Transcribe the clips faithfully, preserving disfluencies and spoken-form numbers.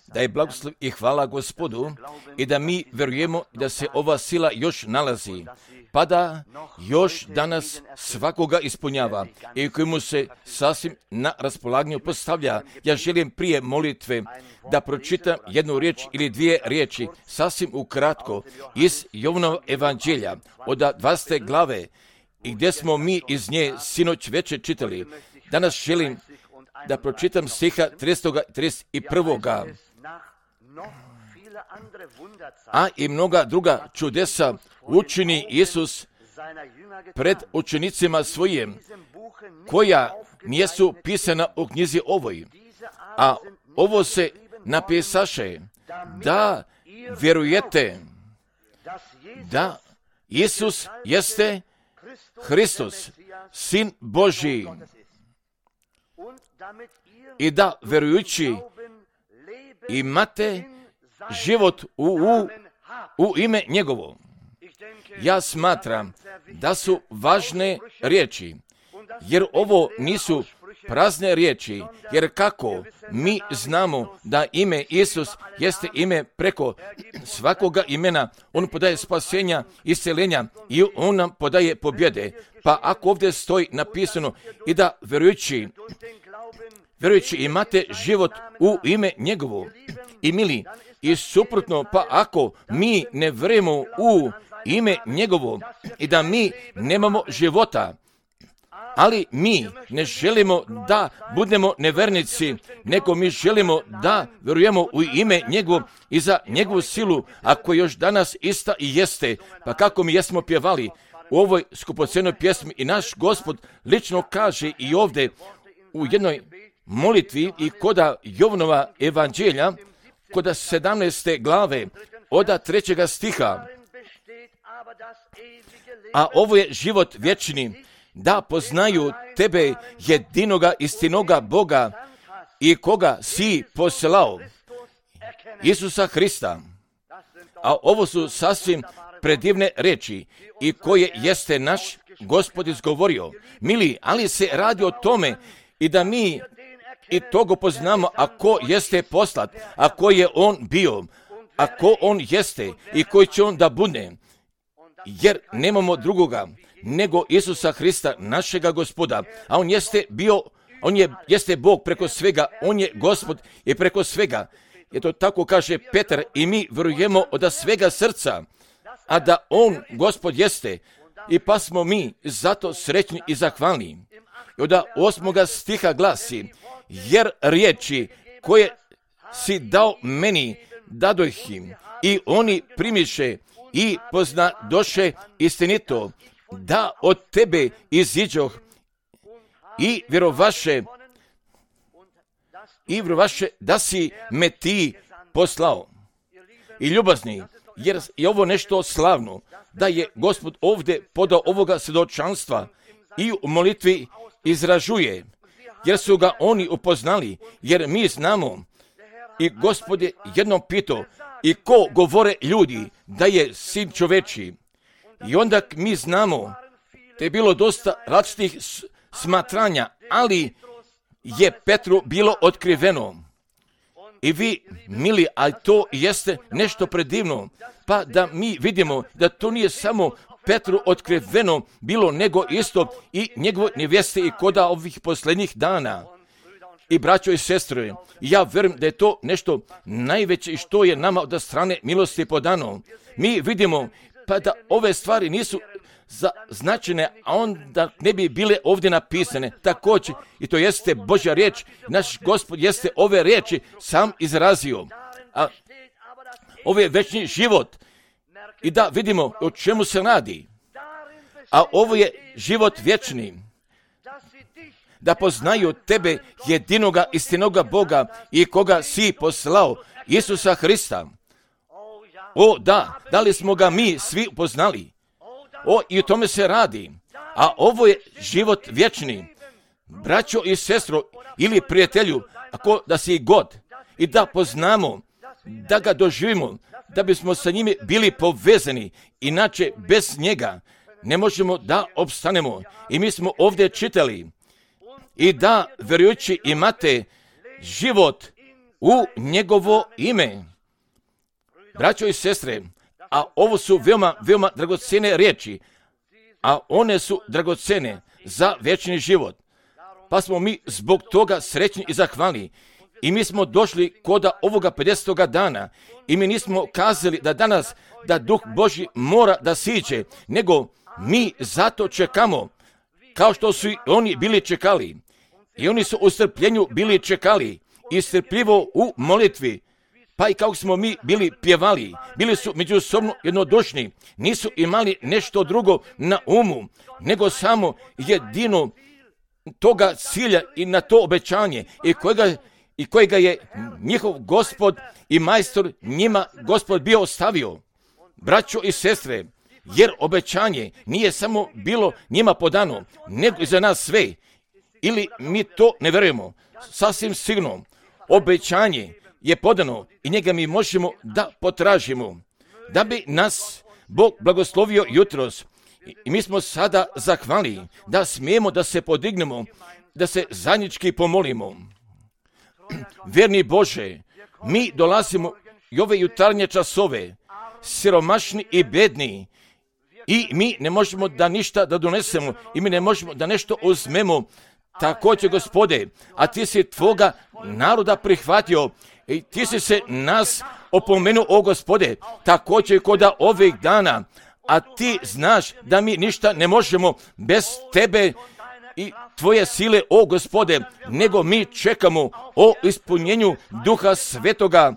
da je blagoslov i hvala Gospodu i da mi vjerujemo da se ova sila još nalazi, pa da još danas svakoga ispunjava i kojemu se sasvim na raspolaganju postavlja. Ja želim prije molitve da pročitam jednu riječ ili dvije riječi, sasvim ukratko, iz Jovanova evanđelja, od dvadesete glave, i gdje smo mi iz nje sinoć večer čitali. Danas želim da pročitam stiha tridesetog i trideset prvog A i mnoga druga čudesa učini Isus pred učenicima svojim, koja nisu pisana u knjizi ovoj. A ovo se napisaše da vjerujete da Isus jeste Hristos, Sin Božji, i da vjerujući imate život u, u, u ime njegovo. Ja smatram da su važne riječi, jer ovo nisu prazne riječi, jer kako mi znamo da ime Isus jeste ime preko svakoga imena, on podaje spasenja, isceljenja i on nam podaje pobjede. Pa ako ovdje stoji napisano i da vjerujući, vjerujući imate život u ime njegovo, i mili, i suprotno, pa ako mi ne vjerujemo u ime njegovo i da mi nemamo života, ali mi ne želimo da budemo nevernici, nego mi želimo da vjerujemo u ime njegovo i za njegovu silu, ako još danas ista i jeste. Pa kako mi jesmo pjevali u ovoj skupocenoj pjesmi, i naš Gospod lično kaže i ovdje u jednoj molitvi i koda Jovanova evanđelja, koda sedamnaeste glave, od trećega stiha. A ovo je život vječni, da poznaju tebe, jedinoga istinoga Boga, i koga si poslao, Isusa Hrista. A ovo su sasvim predivne riječi, i koje jeste naš Gospod izgovorio. Mili, ali se radi o tome i da mi i toga poznamo, ako jeste poslat, ako je on bio, ako on jeste i koji će on da bude, jer nemamo drugoga nego Isusa Hrista, našega Gospoda, a on jeste bio, on je, jeste Bog preko svega, on je Gospod i preko svega. I to tako kaže Petar, i mi vjerujemo od svega srca, a da on Gospod jeste, i pa smo mi zato srećni i zahvalni. I od osmoga stiha glasi, jer riječi koje si dao meni dadoh im, i oni primiše i poznadoše istinito, da od tebe iziđoh, i vjerovaše, i vjerovaše da si me ti poslao. I ljubazni, jer je ovo nešto slavno, da je Gospod ovdje podao ovoga svjedočanstva i u molitvi izražuje, jer su ga oni upoznali, jer mi znamo. I Gospod je jednom pitao, i ko govore ljudi da je sin čoveči? I onda mi znamo, te je bilo dosta različitih smatranja, ali je Petru bilo otkriveno. I vi, mili, ali to jeste nešto predivno, pa da mi vidimo da to nije samo Petru otkriveno bilo, nego isto i njegove nevjeste i koda ovih posljednjih dana. I braćo i sestre, ja vjerujem da je to nešto najveće što je nama od strane milosti podano. Mi vidimo pa da ove stvari nisu značene, a onda ne bi bile ovdje napisane. Također, i to jeste Božja riječ, naš Gospod jeste ove riječi sam izrazio. A ovo je večni život. I da vidimo o čemu se radi. A ovo je život vječni. Da poznaju tebe, jedinoga istinoga Boga, i koga si poslao, Isusa Hrista. O da, da li smo ga mi svi upoznali? O, i o tome se radi. A ovo je život vječni. Braćo i sestro, ili prijatelju, ako da si god, i da poznamo, da ga doživimo, da bismo sa njime bili povezani, inače bez njega ne možemo da opstanemo. I mi smo ovdje čitali, i da vjerujući imate život u njegovo ime. Braćo i sestre, a ovo su veoma, veoma dragocjene riječi, a one su dragocjene za vječni život. Pa smo mi zbog toga srećni i zahvalni. I mi smo došli koda ovoga pedesetoga dana i mi nismo kazali da danas da Duh Božji mora da siđe, nego mi zato čekamo, kao što su i oni bili čekali. I oni su u strpljenju bili čekali i strpljivo u molitvi. Pa i kako smo mi bili pjevali, bili su međusobno jednodušni, nisu imali nešto drugo na umu, nego samo jedino toga cilja i na to obećanje i kojega, i kojega je njihov Gospod i majstor njima Gospod bio ostavio. Braćo i sestre, jer obećanje nije samo bilo njima podano, nego i za nas sve. Ili mi to ne vjerujemo, sasvim sigurno, obećanje je podano i njega mi možemo da potražimo. Da bi nas Bog blagoslovio jutros, i mi smo sada zahvali da smijemo da se podignemo, da se zajednički pomolimo. Vjerni Bože, mi dolazimo i ove jutarnje časove, siromašni i bedni, i mi ne možemo da ništa da donesemo, i mi ne možemo da nešto uzmemo. Također, Gospode, a ti si tvoga naroda prihvatio i ti si se nas opomenuo, o Gospode, također koda ovih dana, a ti znaš da mi ništa ne možemo bez tebe i tvoje sile, o Gospode, nego mi čekamo o ispunjenju Duha Svetoga,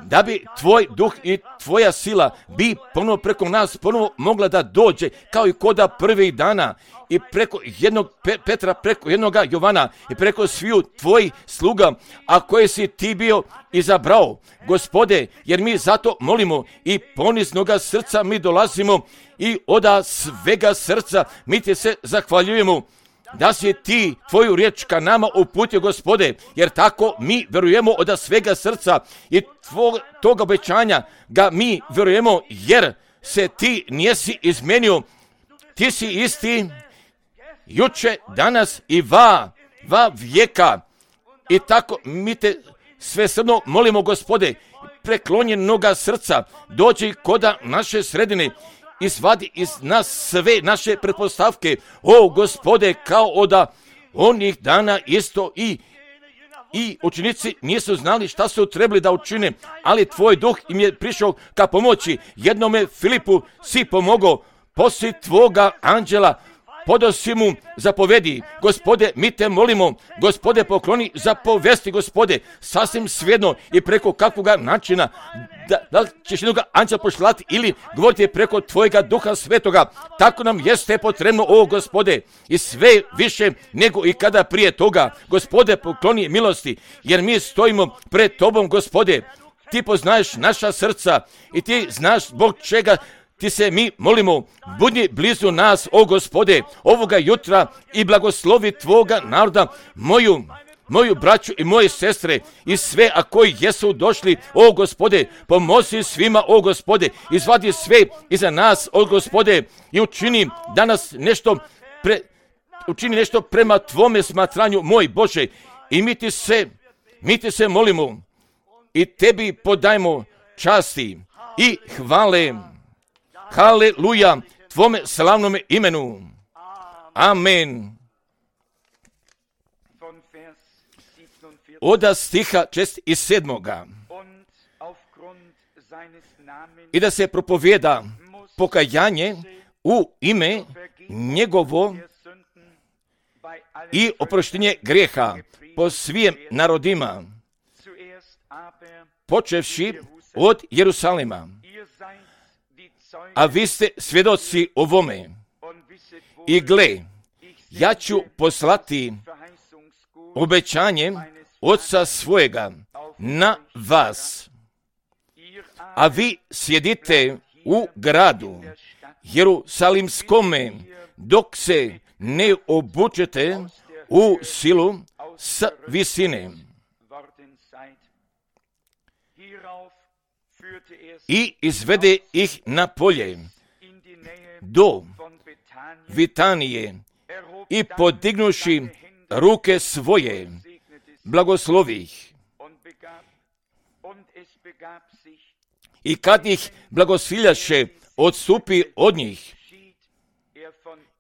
da bi tvoj duh i tvoja sila bi ponovo preko nas ponovo mogla da dođe, kao i koda prvih dana, i preko jednog Pe- Petra, preko jednoga Jovana i preko sviju tvojih sluga, a koje si ti bio izabrao, Gospode, jer mi zato molimo i poniznoga srca mi dolazimo i oda svega srca mi ti se zahvaljujemo da si ti tvoju riječ ka nama uputio, Gospode, jer tako mi vjerujemo od svega srca i tvog, tog obećanja ga mi vjerujemo, jer se ti nisi izmenio. Ti si isti juče, danas i va, va vijeka. I tako mi te svesrdno molimo, Gospode, preklonjenoga srca, dođi koda naše sredine, izvadi iz nas sve naše pretpostavke, o Gospode, kao oda onih dana isto i i učenici nisu znali šta su trebali da učine, ali tvoj duh im je prišao ka pomoći. Jednome Filipu si pomogao, poslije tvoga anđela podosi mu zapovedi, Gospode, mi te molimo, Gospode, pokloni zapovesti, Gospode, sasvim svejedno i preko kakvoga načina, da, da li ćeš jednoga anđela pošlati ili govoriti preko tvojega Duha Svetoga, tako nam jeste potrebno, o Gospode, i sve više nego i kada prije toga, Gospode, pokloni milosti, jer mi stojimo pred tobom, Gospode, ti poznaješ naša srca i ti znaš zbog čega ti se mi molimo, budi blizu nas, o Gospode, ovoga jutra i blagoslovi tvoga naroda, moju, moju braću i moje sestre i sve, a koji jesu došli, o Gospode, pomozi svima, o Gospode, izvadi sve iza nas, o Gospode, i učini danas nešto, pre, učini nešto prema tvome smatranju, moj Bože, i mi ti se, mi ti se molimo i tebi podajmo časti i hvale. Haleluja, tvome slavnome imenu. Amen. Oda stiha čest i sedmoga. I da se propovjeda pokajanje u ime njegovo i oproštenje grijeha po svim narodima, počevši od Jerusalima. A vi ste svjedoci ovome. I gle, ja ću poslati obećanje Oca svojega na vas, a vi sjedite u gradu Jerusalimskome, dok se ne obučete u silu s visine. I izvede ih na polje do Vitanije i podignuši ruke svoje, blagoslovi ih I kad ih blagosiljaše, odstupi od njih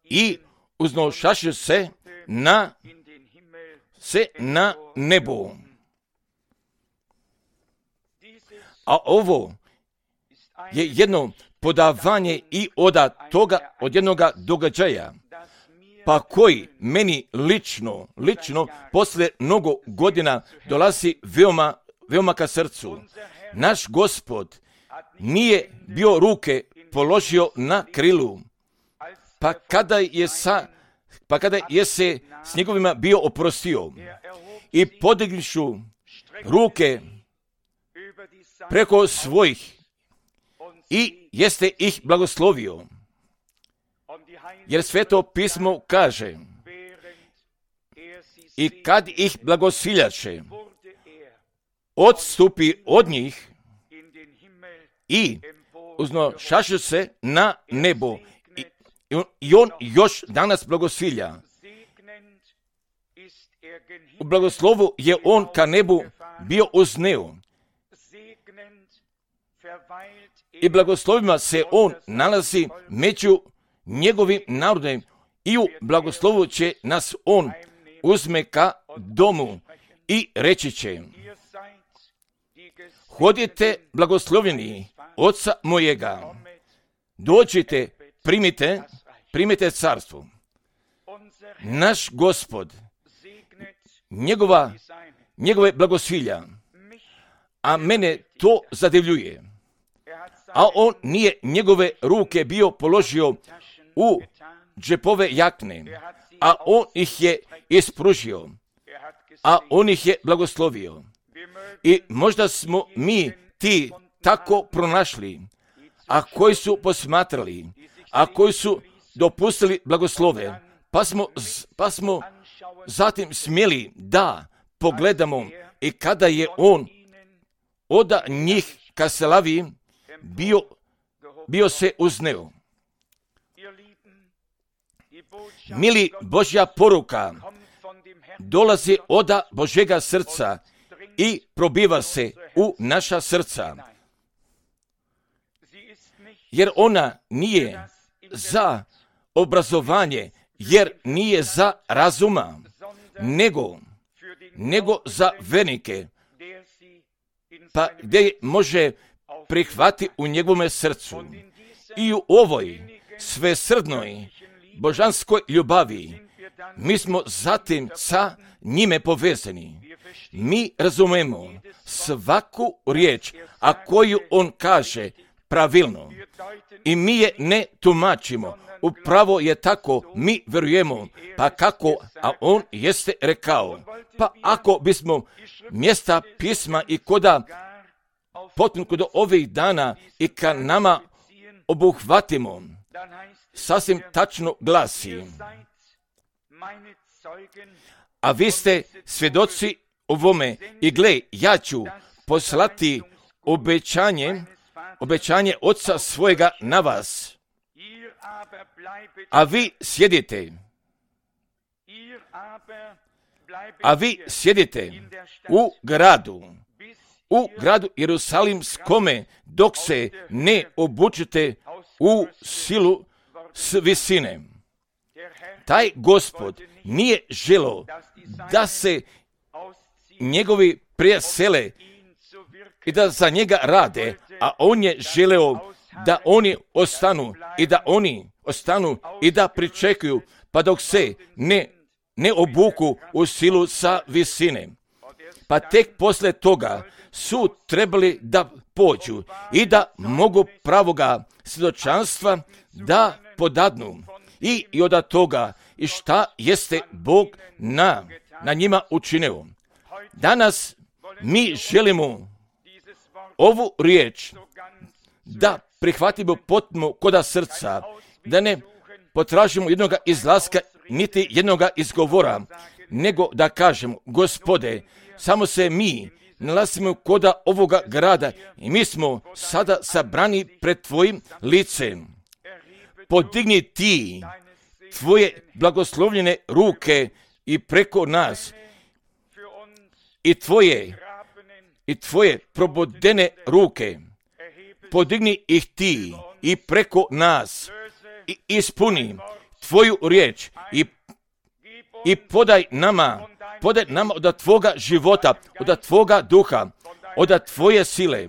i uznošaše se na se na nebo. A ovo je jedno podavanje i od toga, od jednoga događaja, pa koji meni lično, lično, posle mnogo godina dolazi veoma, veoma ka srcu. Naš Gospod nije bio ruke položio na krilu, pa kada je sa, pa kada je se s njegovima bio oprostio i podignušu ruke preko svojih i jeste ih blagoslovio. Jer Sveto pismo kaže, i kad ih blagosiljaše, odstupi od njih i uznošaše se na nebo. I, I on još danas blagosilja. U blagoslovu je on ka nebu bio uzneo. I blagoslovima se on nalazi među njegovim narodom i u blagoslovu će nas on uzme ka domu i reći će: hodite blagoslovljeni Oca mojega, dođite, primite, primite carstvo. Naš Gospod, njegova, njegove blagosilja, a mene to zadivljuje. A on nije njegove ruke bio položio u džepove jakne, a on ih je ispružio, a on ih je blagoslovio. I možda smo mi ti tako pronašli, a koji su posmatrali, a koji su dopustili blagoslove, pa smo, pa smo zatim smjeli da pogledamo i kada je on od njih ka slavi bio, bio se uzneo. Mili, Božja poruka dolazi od Božjega srca i probiva se u naša srca. Jer ona nije za obrazovanje, jer nije za razuma, nego, nego za vernike, pa gdje može prihvati u njegovome srcu. I u ovoj svesrdnoj božanskoj ljubavi mi smo zatim sa njime povezani. Mi razumemo svaku riječ, a koju on kaže pravilno. I mi je ne tumačimo. Upravo je tako, mi vjerujemo, pa kako, a on jeste rekao. Pa ako bismo mjesta pisma i koda potpuno do ovih dana i ka nama obuhvatimo, sasvim tačno glasi: a vi ste svjedoci ovome i gle, ja ću poslati obećanje, obećanje Oca svojega na vas, a vi sjedite, a vi sjedite u gradu, u gradu Jerusalimskome, dok se ne obučite u silu s visine. Taj Gospod nije želo da se njegovi presele i da za njega rade, a on je želeo da oni ostanu i da oni ostanu i da pričekuju, pa dok se ne, ne obuku u silu sa visine. Pa tek posle toga su trebali da pođu i da mogu pravoga svjedočanstva da podadnu i, i od toga i šta jeste Bog na, na njima učinio. Danas mi želimo ovu riječ da prihvatimo potpuno koda srca, da ne potražimo jednog izlaska niti jednog izgovora, nego da kažemo: Gospode, samo se mi nalazimo koda ovoga grada i mi smo sada sabrani pred tvojim licem. Podigni ti tvoje blagoslovljene ruke i preko nas i tvoje i tvoje probodene ruke, podigni ih ti i preko nas i ispuni tvoju riječ i, i podaj nama, podaj nama od tvoga života, od tvoga duha, od tvoje sile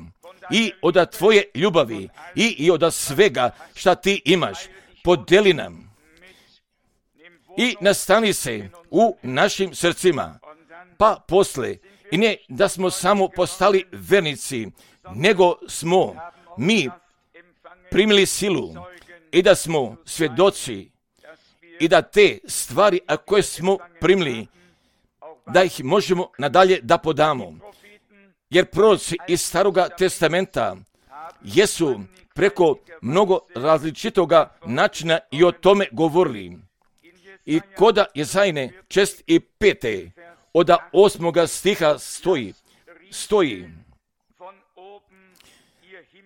i od tvoje ljubavi i, i od svega šta ti imaš. Podeli nam i nastani se u našim srcima, pa posle, i ne da smo samo postali vernici, nego smo mi primili silu i da smo svjedoci i da te stvari a koje smo primili, da ih možemo nadalje da podamo. Jer proroci iz Staroga testamenta jesu preko mnogo različitoga načina i o tome govorili. I koda Jezajne čest i pete od osmoga stiha stoji, stoji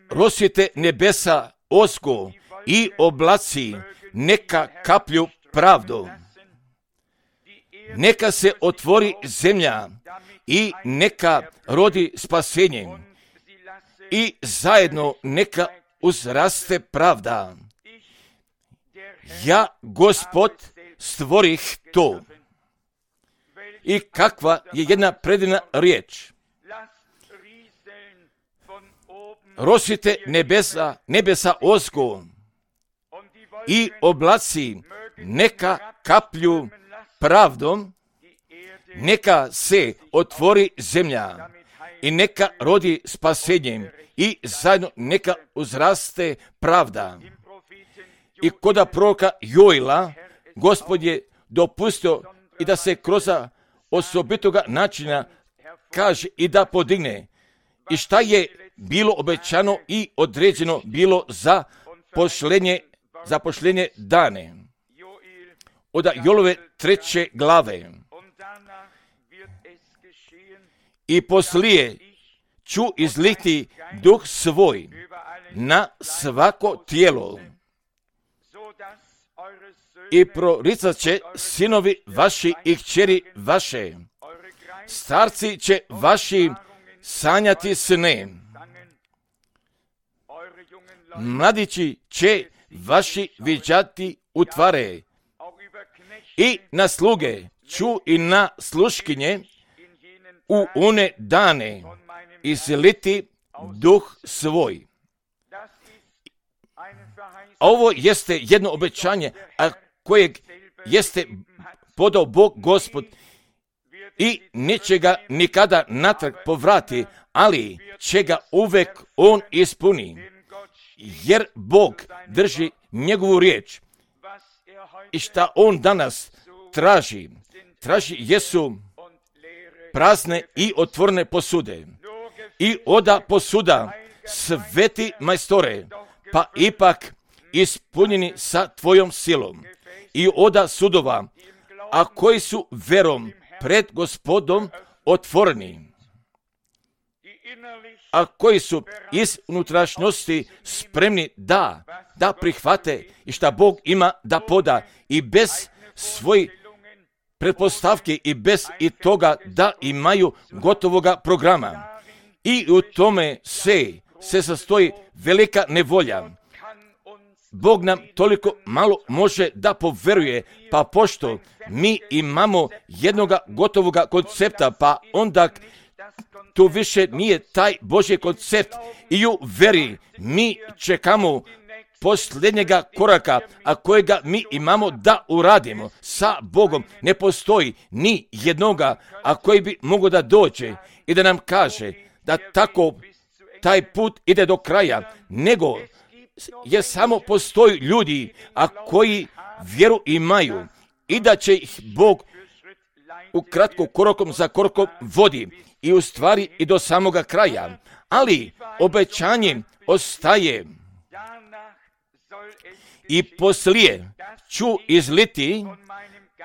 Rozsvijete nebesa osko i oblaci neka kaplju pravdu. Neka se otvori zemlja i neka rodi spasenje i zajedno neka uzraste pravda. Ja, Gospod, stvorih to. I kakva je jedna predivna riječ. Rozsvijete nebesa, nebesa osko i oblaci neka kaplju pravdom, neka se otvori zemlja i neka rodi spasenjem i zajedno neka uzraste pravda. I koda proroka Joila, Gospod je dopustio i da se kroz osobitoga načina kaže i da podigne. I šta je bilo obećano i određeno bilo za pošlenje, za pošlenje dane. Od Jolove treće glave. I poslije ću izliti duh svoj na svako tijelo i proricat će sinovi vaši i kćeri vaše. Starci će vaši sanjati sne. Mladići će vaši viđati utvare. I na sluge ću i na sluškinje u one dane izliti duh svoj. A ovo jeste jedno obećanje, a kojeg jeste podao Bog Gospod i neće ga nikada natrag povrati, ali će ga uvek on ispuni. Jer Bog drži njegovu riječ. I šta on danas traži? Traži jesu prazne i otvorene posude. I oda posuda, sveti majstore, pa ipak ispunjeni sa tvojom silom. I oda sudova, a koji su verom pred Gospodom otvoreni, a koji su iz unutrašnjosti spremni da, da prihvate i šta Bog ima da poda i bez svojih pretpostavke i bez i toga da imaju gotovoga programa. I u tome se, se sastoji velika nevolja. Bog nam toliko malo može da poveruje, pa pošto mi imamo jednoga gotovoga koncepta, pa onda tu više nije taj Božji koncept i u veri mi čekamo posljednjega koraka, a kojega mi imamo da uradimo sa Bogom. Ne postoji ni jednoga, a koji bi mogao da dođe i da nam kaže da tako taj put ide do kraja, nego je samo postoji ljudi, a koji vjeru imaju i da će ih Bog u kratko korakom za korakom vodi i u stvari i do samoga kraja. Ali obećanje ostaje. I poslije ću izliti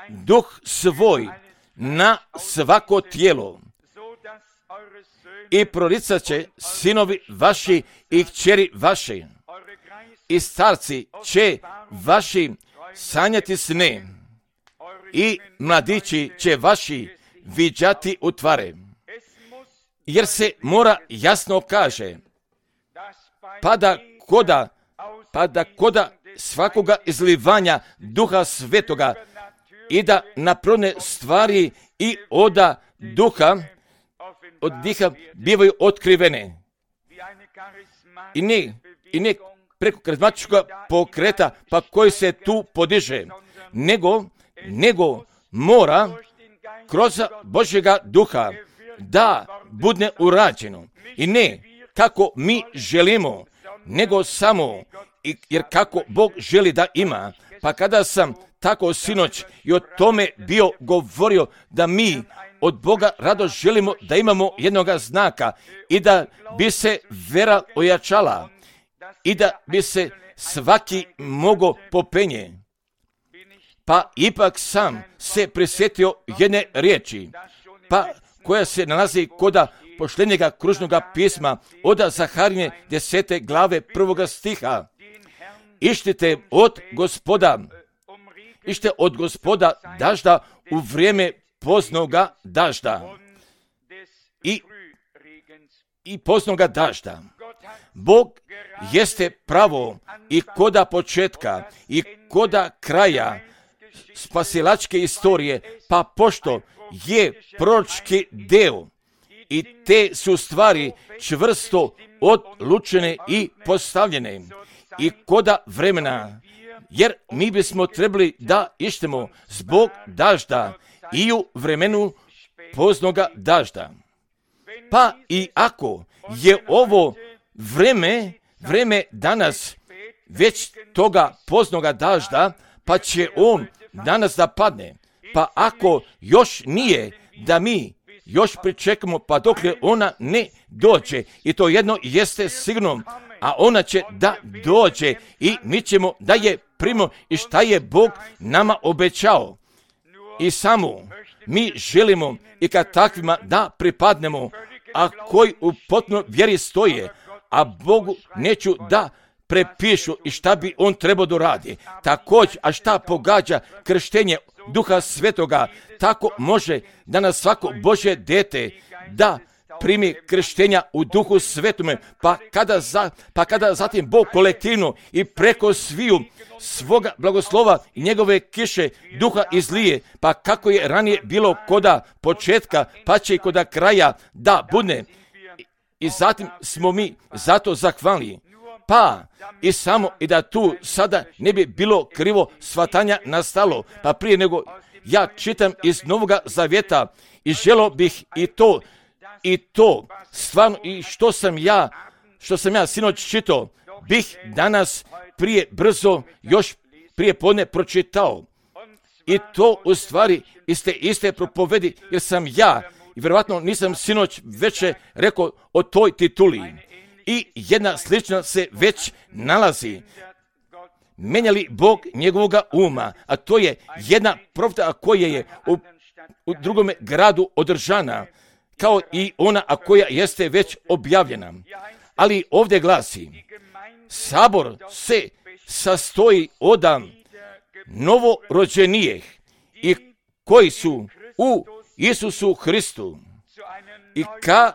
duh svoj na svako tijelo i proricat će sinovi vaši i kćeri vaši i starci će vaši sanjati sne i mladići će vaši viđati utvare. jer se mora jasno kaže, pa da koda, pa da koda svakoga izlivanja Duha Svetoga i da naprone stvari i oda Duha, od diha bivaju otkrivene. I ne, i ne preko karizmatičkog pokreta, pa koji se tu podiže, nego, nego mora kroz Božjega Duha da bude urađeno. I ne kako mi želimo, nego samo, jer kako Bog želi da ima. Pa kada sam tako sinoć i o tome bio govorio da mi od Boga rado želimo da imamo jednoga znaka i da bi se vera ojačala i da bi se svaki mogo popenje. Pa ipak sam se prisjetio jedne riječi, pa koja se nalazi koda poštenjega kružnoga pisma od Zaharije desete glave prvoga stiha. Ištite od gospoda, ište od gospoda dažda u vrijeme poznoga dažda i, i poznoga dažda. Bog jeste pravo i koda početka i koda kraja spasilačke istorije, pa pošto je proročki deo i te su stvari čvrsto odlučene i postavljene i koda vremena, jer mi bismo trebali da ištemo zbog dažda i u vremenu poznoga dažda. Pa i ako je ovo vreme, vreme danas već toga poznoga dažda, pa će on danas da padne. Pa ako još nije, da mi još pričekamo pa dok ona ne dođe. I to jedno jeste sigurno, a ona će da dođe i mi ćemo da je primimo i šta je Bog nama obećao. I samo mi želimo i kad takvima da pripadnemo, a koji u potpuno vjeri stoje, a Bogu neću da prepišu i šta bi on trebao da radi. Također, a šta pogađa krštenje Duha Svetoga, tako može da nas svako Božje dete da primi krštenja u Duhu Svetome, pa kada, za, pa kada zatim Bog kolektivno i preko sviju svoga blagoslova i njegove kiše Duha izlije, pa kako je ranije bilo koda početka, pa će i koda kraja da bude. I zatim smo mi zato zahvalni. Pa i samo i da tu sada ne bi bilo krivo shvatanja nastalo, pa prije nego ja čitam iz Novoga Zavjeta i želio bih i to, i to stvarno i što sam ja, što sam ja sinoć čitao, bih danas prije brzo još prije podne pročitao. I to u stvari iste iste propovedi, jer sam ja i vjerovatno nisam sinoć već rekao o toj tituli. I jedna slična se već nalazi. Menjali Bog njegovoga uma, a to je jedna profeta koja je u, u drugome gradu održana, kao i ona a koja jeste već objavljena. Ali ovdje glasi, sabor se sastoji od novorođenijih i koji su u Isusu Hristu i ka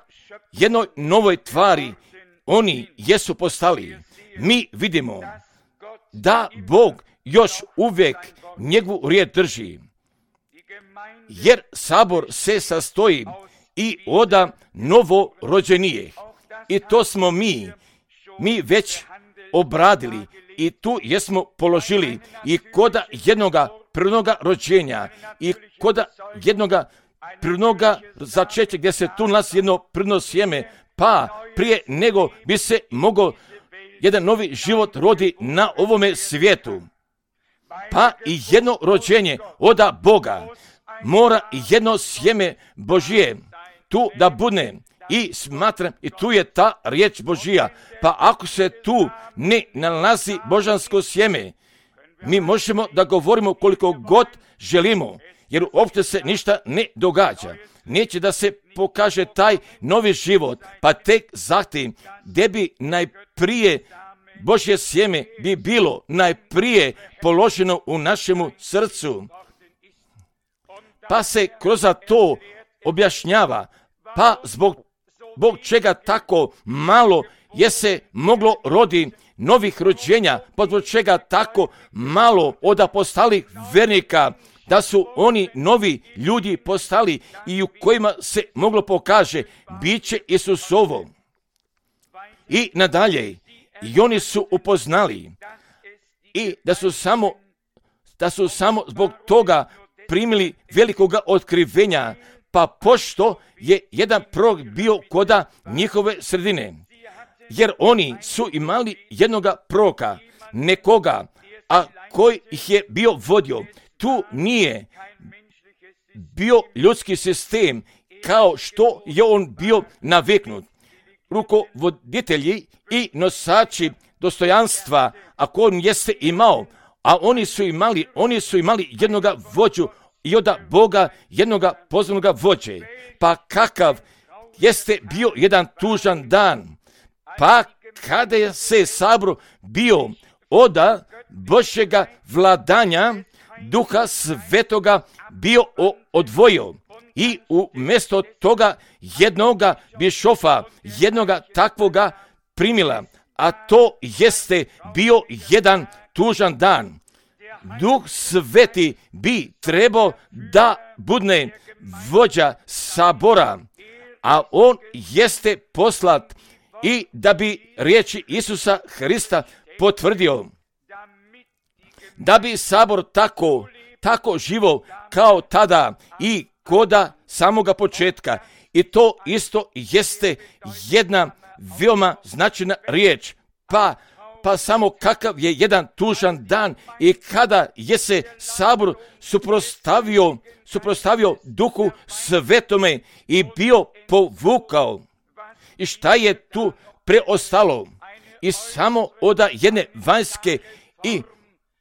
jednoj novoj tvari oni jesu postali. Mi vidimo da Bog još uvijek njegovu riječ drži, jer sabor se sastoji i od novorođenijih. I to smo mi, mi već obradili i tu jesmo položili i koda jednoga prirodnoga rođenja i koda jednoga prirodnoga začeća gdje se tu nalazi jedno prirodno sjeme, pa prije nego bi se mogao jedan novi život rodi na ovome svijetu. Pa i jedno rođenje od Boga mora jedno sjeme Božije tu da bude. I smatram, i tu je ta riječ Božija. Pa ako se tu ne nalazi božansko sjeme, mi možemo da govorimo koliko god želimo, jer uopće se ništa ne događa. Neće da se pokaže taj novi život, pa tek zatim gdje bi najprije Božje sjeme bi bilo najprije položeno u našemu srcu. Pa se kroz to objašnjava, pa zbog zbog čega tako malo je se moglo rodi novih rođenja, pa zbog čega tako malo od apostolih vernika, da su oni novi ljudi postali i u kojima se moglo pokaže biće Isusovo. I nadalje, i oni su upoznali i da su samo, da su samo zbog toga primili velikoga otkrivenja, pa pošto je jedan prorok bio koda njihove sredine, jer oni su imali jednoga proroka, nekoga, a koji ih je bio vodio. Tu nije bio ljudski sistem kao što je on bio naviknut. Rukovoditelji i nosači dostojanstva, ako on jeste imao, a oni su imali, oni su imali jednoga vođu i od Boga jednoga pozvanog vođe. Pa kakav jeste bio jedan tužan dan, pa kada je se sabor bio od Božjega vladanja, Duha Svetoga bio odvojio i umjesto toga jednoga bišofa, jednoga takvoga primila, a to jeste bio jedan tužan dan. Duh Sveti bi trebao da budne vođa sabora, a on jeste poslat i da bi riječi Isusa Hrista potvrdio, da bi sabor tako, tako živo kao tada i koda samoga početka. I to isto jeste jedna veoma značajna riječ. Pa, pa samo kakav je jedan tužan dan i kada je se sabor suprostavio, suprostavio Duhu Svetome i bio povukao. I šta je tu preostalo? I samo od jedne vanjske i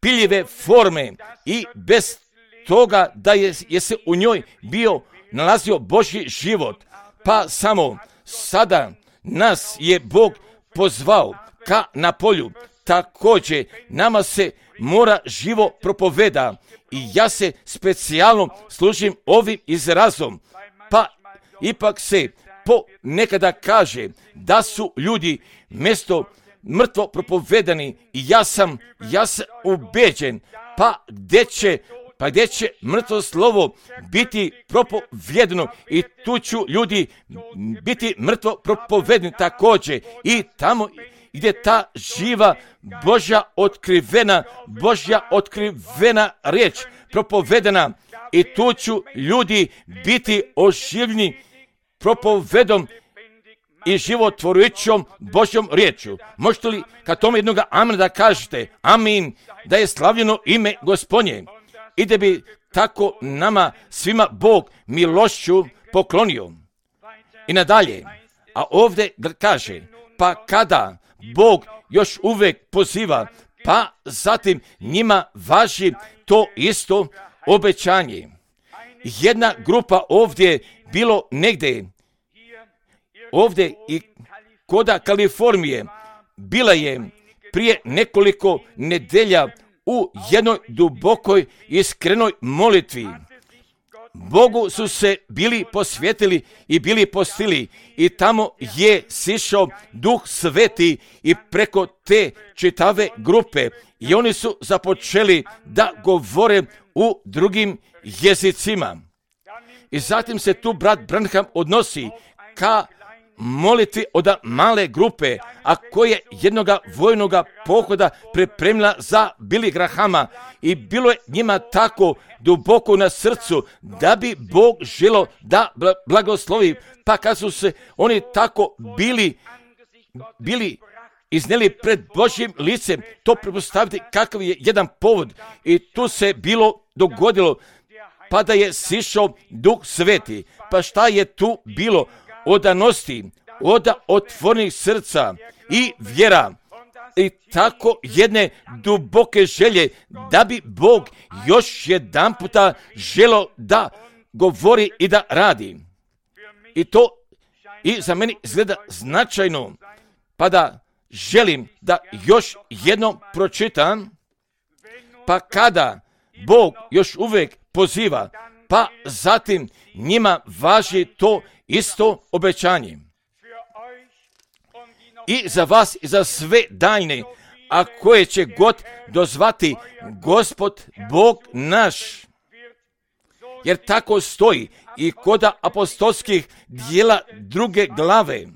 piljive forme i bez toga da je, je se u njoj bio nalazio Božji život. Pa samo sada nas je Bog pozvao ka na polju. Također nama se mora živo propoveda i ja se specijalno služim ovim izrazom. Pa ipak se po nekada kaže da su ljudi mjesto mrtvo propovedani i ja sam, ja sam ubeđen, pa gdje će, pa gdje će mrtvo slovo biti propovjedeno i tu ću ljudi biti mrtvo propovedeni također i tamo gdje ta živa Božja otkrivena, Božja otkrivena riječ propovedena i tu ću ljudi biti oživljeni propovedom i životvorujućom Božjom riječju. Možete li kad tome jednoga amen da kažete amin, da je slavljeno ime Gospodnje i da bi tako nama svima Bog milošću poklonio. I nadalje, a ovdje kaže, pa kada Bog još uvijek poziva, pa zatim njima važi to isto obećanje. Jedna grupa ovdje bilo negdje, ovdje i koda Kalifornije, bila je prije nekoliko nedelja u jednoj dubokoj iskrenoj molitvi. Bogu su se bili posvetili i bili postili i tamo je sišao Duh Sveti i preko te čitave grupe i oni su započeli da govore u drugim jezicima. I zatim se tu brat Branham odnosi ka molitvi od male grupe, a koje jednoga vojnoga pohoda pripremila za Billy Grahama i bilo je njima tako duboko na srcu da bi Bog želio da blagoslovi, pa kad su se oni tako bili, bili iznijeli pred Božjim licem, to pretpostaviti kakav je jedan povod i tu se bilo dogodilo, pa da je sišao Duh Sveti. Pa šta je tu bilo? Odanosti, od otvorenih srca i vjera i tako jedne duboke želje da bi Bog još jedan puta želio da govori i da radi. I to i za meni izgleda značajno, pa da želim da još jednom pročitam, pa kada Bog još uvijek poziva, pa zatim njima važi to isto obećanje. i za vas i za sve daljne, a koje će god dozvati Gospod Bog naš. Jer tako stoji i kod apostolskih dijela druge glave,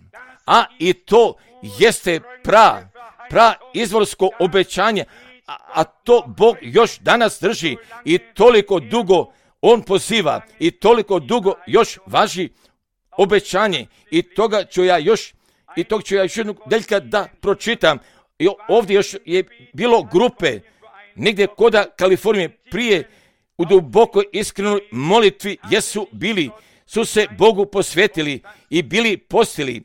a i to jeste pra, pra izvorsko obećanje, a, a to Bog još danas drži i toliko dugo On poziva i toliko dugo još važi obećanje i toga ću ja još i tog ću ja još jednog deljka da pročitam. I ovdje još je bilo grupe negdje kod Kalifornije prije u dubokoj iskrenoj molitvi jesu bili, su se Bogu posvetili i bili postili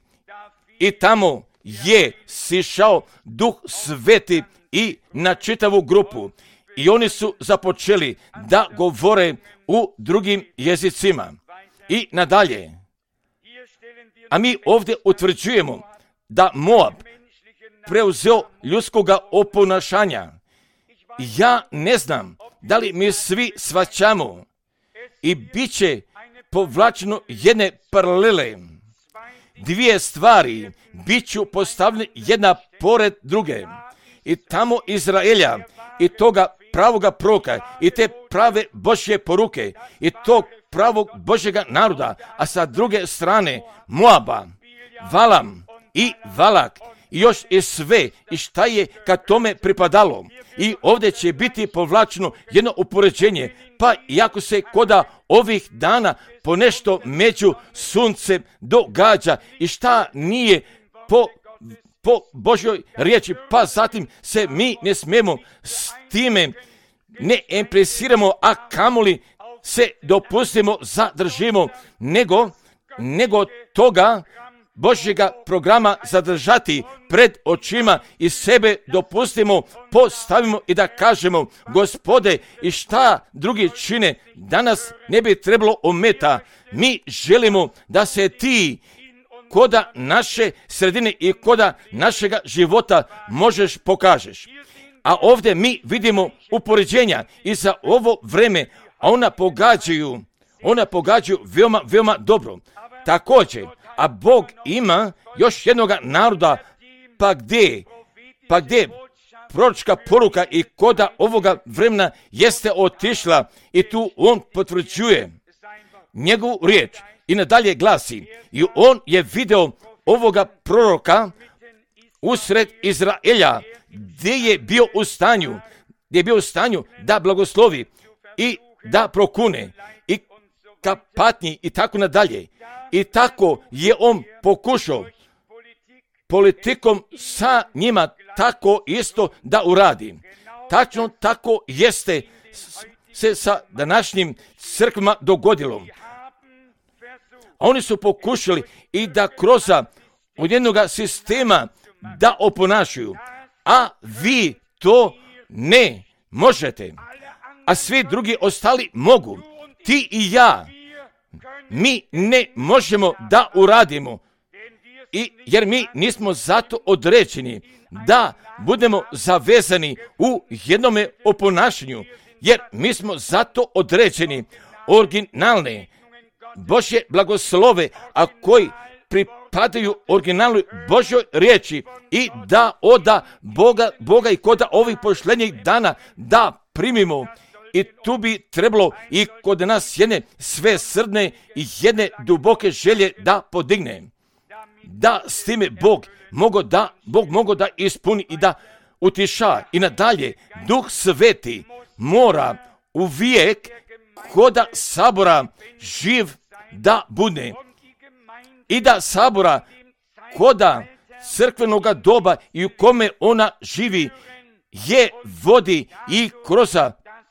i tamo je sišao Duh Sveti i na čitavu grupu i oni su započeli da govore u drugim jezicima i nadalje. A mi ovdje utvrđujemo da Moab preuzeo ljudskoga oponašanja. Ja ne znam da li mi svi shvaćamo i bit će povlačeno jedne paralele. Dvije stvari bit ću postavljene jedna pored druge. I tamo Izraelja i toga pravoga proroka i te prave Božje poruke i tog pravog Božjega naroda, a sa druge strane Moaba, Valam i Valak i još i sve i šta je kad tome pripadalo. I ovdje će biti povlačeno jedno upoređenje, pa iako se koda ovih dana ponešto među suncem događa i šta nije po, po Božjoj riječi, pa zatim se mi ne smijemo s time ne impresiramo, a kamoli se dopustimo, zadržimo, nego, nego toga Božjega programa zadržati pred očima i sebe dopustimo, postavimo i da kažemo, Gospode, i šta drugi čine, danas ne bi trebalo ometa. Mi želimo da se ti koda naše sredine i koda našega života možeš pokažeš. A ovdje mi vidimo upoređenja i za ovo vreme, a ona pogađaju, ona pogađaju veoma, veoma dobro. Također, a Bog ima još jednog naroda, pa gdje, pa gdje proročka poruka i koda ovoga vremena jeste otišla i tu on potvrđuje njegovu riječ i nadalje glasi i on je video ovoga proroka usred Izraelja gdje je bio u stanju, gdje je bio u stanju da blagoslovi i da prokune i ka patnji i tako nadalje. I tako je on pokušao politikom sa njima tako isto da uradi. Tačno tako jeste se sa današnjim crkvama dogodilo. A oni su pokušali i da kroz od jednog sistema da oponašaju, a vi to ne možete, a svi drugi ostali mogu. Ti i ja, mi ne možemo da uradimo, i jer mi nismo zato određeni da budemo zavezani u jednome oponašanju, jer mi smo zato određeni originalne Božje blagoslove, a koji pripadaju originalnoj Božjoj riječi i da oda Boga, Boga i koda ovih pošlenjih dana da primimo. I tu bi trebalo i kod nas jedne sve srdne i jedne duboke želje da podigne. Da s time Bog mogo da, Bog mogo da ispuni i da utiša. I nadalje, Duh Sveti mora uvijek koda sabora živ da bude. I da sabora koda crkvenoga doba i u kome ona živi je vodi i kroz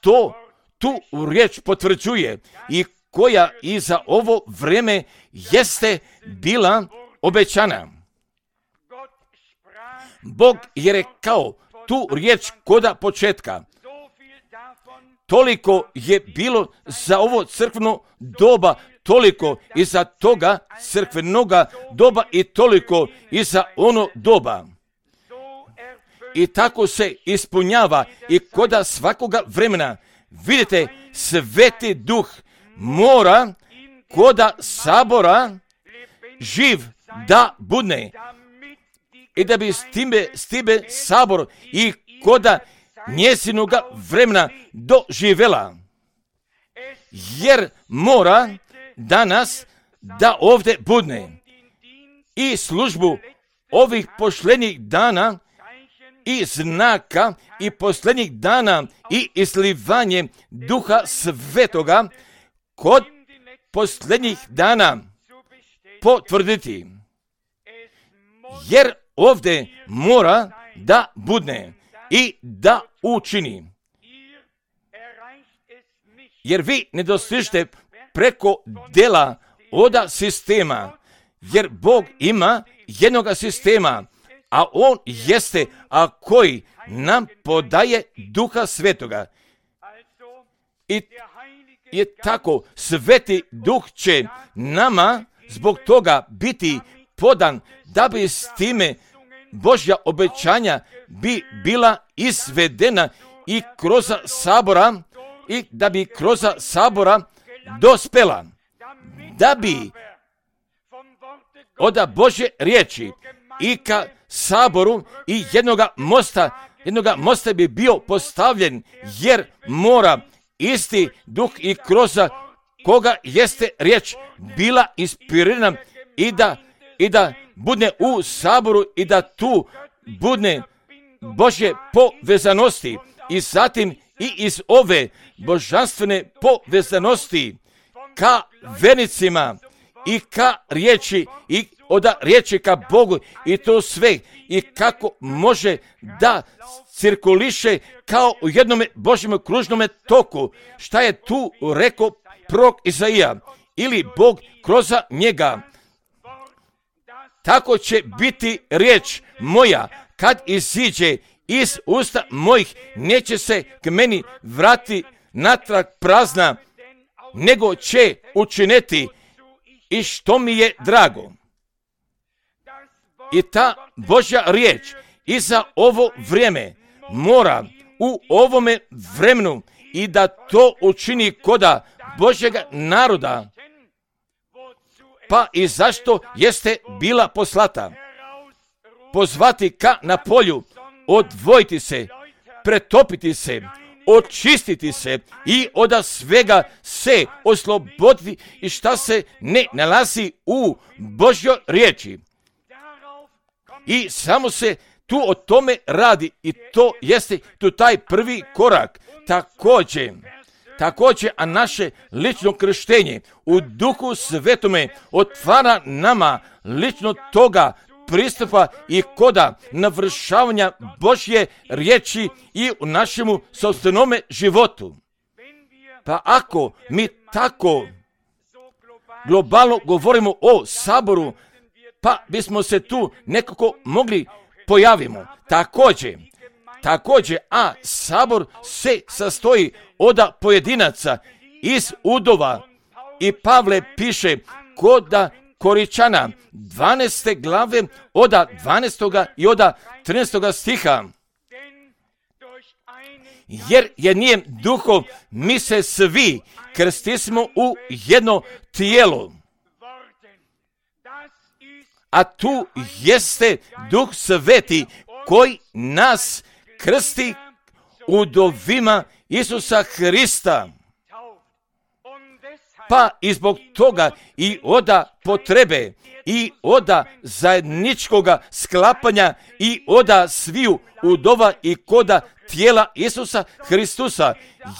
to tu riječ potvrđuje i koja i za ovo vreme jeste bila obećana. Bog je rekao tu riječ koda početka. Toliko je bilo za ovo crkveno doba, toliko i za toga crkvenoga doba i toliko i za ono doba. I tako se ispunjava i koda svakoga vremena. Vidite, Sveti Duh mora koda sabora živ da budne i da bi s time, s time sabor i koda njezinoga vremena doživela. Jer mora danas da ovdje budne i službu ovih posljednjih dana i znaka i posljednjih dana i izlivanje Duha Svetoga kod posljednjih dana potvrditi. Jer ovdje mora da budne i da učini. Jer vi ne dostižete preko dela oda sistema, jer Bog ima jednoga sistema, a On jeste, a koji nam podaje Duha Svetoga. I je tako, Sveti Duh će nama zbog toga biti podan, da bi s time Božja obećanja bi bila izvedena i kroz sabora, i da bi kroz sabora dospela, da bi od Božje riječi i ka saboru i jednoga mosta, jednoga mosta bi bio postavljen, jer mora isti Duh i kroz koga jeste riječ bila inspirirana i da, i da budne u saboru i da tu budne Božje povezanosti i zatim i iz ove božanstvene povezanosti ka vernicima i ka riječi i od riječi ka Bogu i to sve i kako može da cirkuliše kao u jednom Božjem kružnom toku. Šta je tu rekao prorok Izaija ili Bog kroz njega? Tako će biti riječ moja kad iziđe iz usta mojih, neće se k meni vrati natrag prazna, nego će učiniti i što mi je drago. I ta Božja riječ i za ovo vrijeme mora u ovome vremenu i da to učini koda Božjega naroda. Pa i zašto jeste bila poslata? Pozvati ka na polju, odvojiti se, pretopiti se, očistiti se i od svega se osloboditi i šta se ne nalazi u Božjoj riječi. I samo se tu o tome radi i to jeste tu taj prvi korak. Također, također, a naše lično krštenje u Duhu Svetome otvara nama lično toga pristupa i koda navršavanja Božje riječi i u našemu sopstvenome životu. Pa ako mi tako globalno govorimo o saboru, pa bismo se tu nekako mogli pojavimo. Također, također, a sabor se sastoji od pojedinaca iz udova i Pavle piše koda Koričana dvanaeste glave od dvanaestoga i od trinaestoga stiha. Jer je njem duhom mi se svi krstismo u jedno tijelo. A tu jeste Duh Sveti koji nas krsti udovima Isusa Hrista. Pa i zbog toga i oda potrebe i oda zajedničkoga sklapanja i oda sviju udova i koda tijela Isusa Hristusa.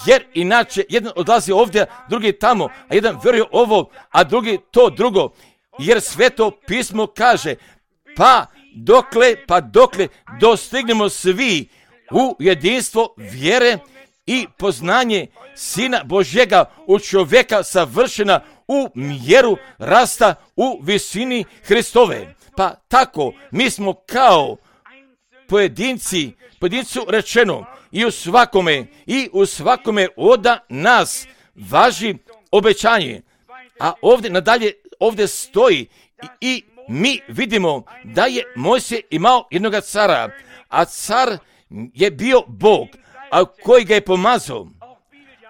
Jer inače jedan odlazi ovdje, drugi tamo, a jedan vjeruje ovo, a drugi to drugo. Jer Sveto pismo kaže, pa dokle, pa dokle dostignemo svi u jedinstvo vjere i poznanje Sina Božjega u čovjeka savršena u mjeru rasta u visini Hristove. Pa tako, mi smo kao pojedinci, pojedincu rečeno i u svakome, i u svakome od nas važi obećanje. A ovdje nadalje, ovdje stoji i, i mi vidimo da je Mojsije imao jednoga cara, a car je bio Bog, a koji ga je pomazao.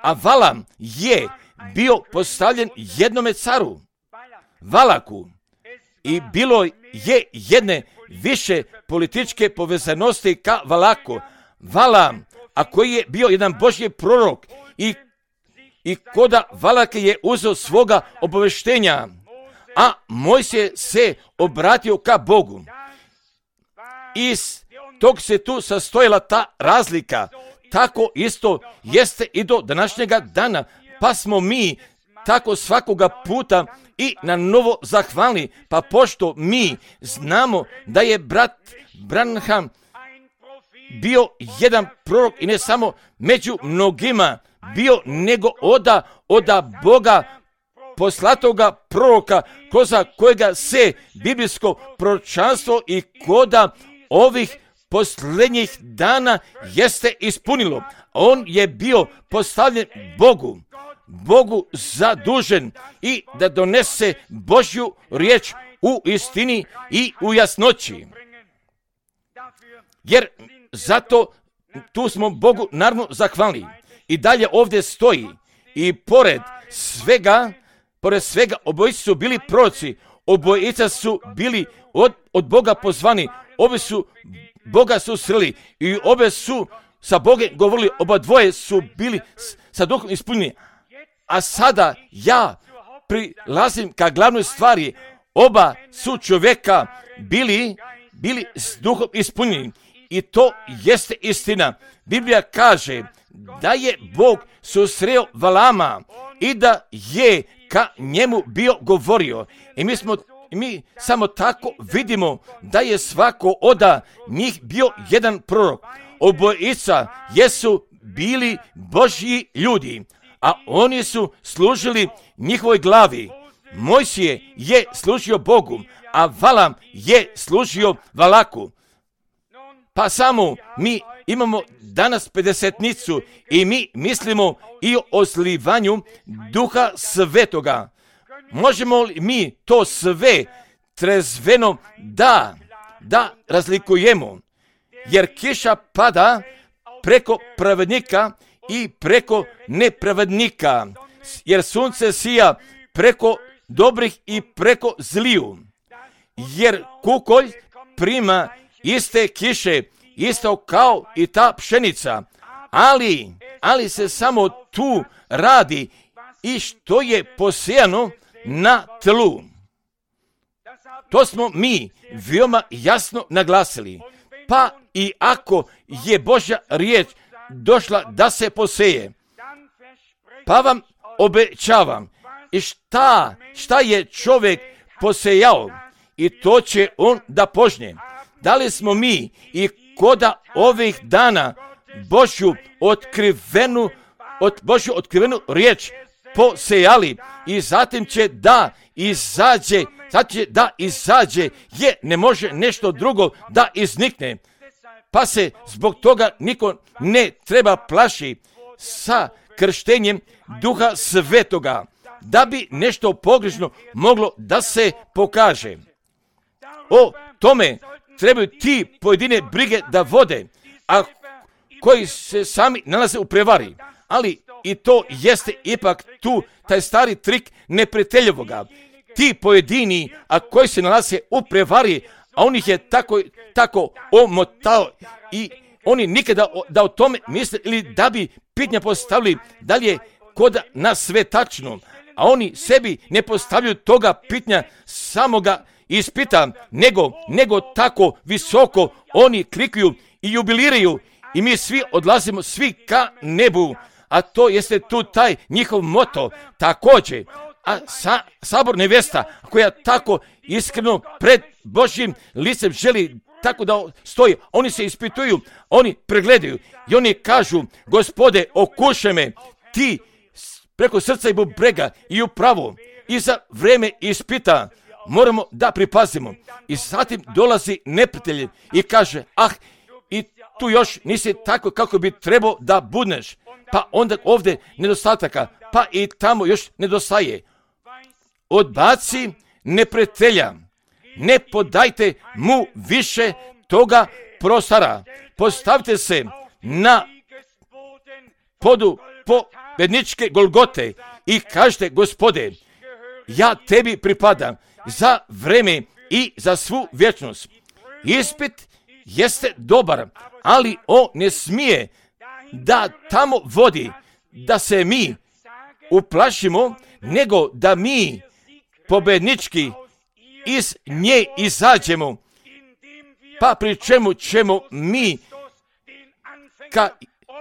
A Valam je bio postavljen jednome caru, Valaku. I bilo je jedne više političke povezanosti ka Valaku. Valam, a koji je bio jedan Božji prorok i, i koda Valak je uzeo svoga obaveštenja, a Mojsije se obratio ka Bogu. Iz tog se tu sastojila ta razlika. Tako isto jeste i do današnjega dana, pa smo mi tako svakoga puta i na novo zahvalni, pa pošto mi znamo da je brat Branham bio jedan prorok i ne samo među mnogima bio, nego oda, oda Boga poslatoga proroka, koza kojega se biblijsko proročanstvo i koda ovih posljednjih dana jeste ispunilo. On je bio postavljen Bogu, Bogu zadužen i da donese Božju riječ u istini i u jasnoći. Jer zato tu smo Bogu naravno zahvalni. I dalje ovdje stoji i pored svega, pored svega obojica su bili proroci, obojica su bili od, od Boga pozvani, obe su Boga susreli i obe su sa Bogom govorili, oba dvoje su bili sa duhom ispunjeni. A sada ja prilazim ka glavnoj stvari, oba su čovjeka bili, bili s duhom ispunjeni. I to jeste istina. Biblija kaže da je Bog susreo Valama i da je ka njemu bio govorio. I mi smo mi samo tako vidimo da je svako oda njih bio jedan prorok. Obojica jesu bili Božji ljudi, a oni su služili njihovoj glavi. Mojsije je služio Bogu, a Valam je služio Valaku. Pa samo mi imamo danas pedesetnicu i mi mislimo i o slivanju Duha Svetoga. Možemo li mi to sve trezveno da, da razlikujemo? Jer kiša pada preko pravednika i preko nepravednika. Jer sunce sija preko dobrih i preko zliju. Jer kukolj prima iste kiše, isto kao i ta pšenica. Ali, ali se samo tu radi i što je posijano na tlu. To smo mi veoma jasno naglasili. Pa i ako je Božja riječ došla da se poseje, pa vam obećavam, i šta, šta je čovjek posejao, i to će on da požnje. Da li smo mi i koda ovih dana Božju otkrivenu, od Božju otkrivenu riječ posejali i zatim će da izađe, sad će da izađe, je ne može nešto drugo da iznikne. Pa se zbog toga niko ne treba plaši sa krštenjem Duha Svetoga, da bi nešto pogrešno moglo da se pokaže. O tome trebaju ti pojedine brige da vode, a koji se sami nalaze u prevari. Ali i to jeste ipak tu taj stari trik neprijateljevoga. Ti pojedini, a koji se nalaze u prevari, a on ih je tako, tako omotao i oni nikada o, da o tome misle ili da bi pitanja postavili da li je kod nas sve tačno, a oni sebi ne postavljaju toga pitanja samoga ispita, nego, nego tako visoko oni klikuju i jubiliraju i mi svi odlazimo svi ka nebu, a to jeste tu taj njihov moto također. A sa, sabor nevesta koja tako iskreno pred Božjim licem želi tako da stoji, oni se ispituju, oni pregledaju i oni kažu, Gospode, okušaj me, ti preko srca i bubrega i upravo i za vreme ispita moramo da pripazimo. I zatim dolazi neprijatelj i kaže, ah, i tu još nisi tako kako bi trebao da budneš, pa onda ovdje nedostataka, pa i tamo još nedostaje. Odbaci neprijatelja, ne podajte mu više toga prostora. Postavite se na podu pobedničke Golgote i kažete, Gospode, ja tebi pripadam, za vreme i za svu vječnost. Ispit jeste dobar, ali on ne smije da tamo vodi da se mi uplašimo, nego da mi pobednički iz nje izađemo, pa pri čemu ćemo mi ka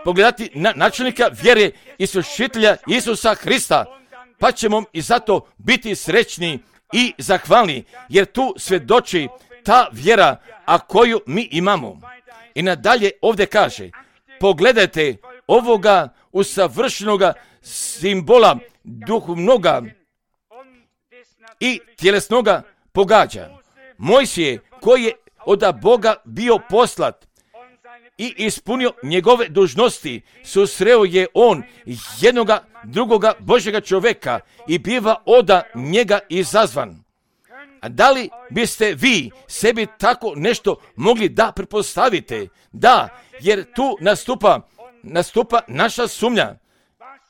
pogledati na načelnika vjere i sušitelja Isusa Hrista, pa ćemo i zato biti srećni i zahvalni, jer tu svjedoči ta vjera, a koju mi imamo. I nadalje ovdje kaže, pogledajte ovoga usavršenoga simbola duhovnoga i tjelesnoga pogađa. Mojsije, koji je od Boga bio poslat i ispunio njegove dužnosti, susreo je on jednoga drugoga Božjega čovjeka i biva od njega izazvan. A da li biste vi sebi tako nešto mogli da pretpostavite? Da, jer tu nastupa, nastupa naša sumnja.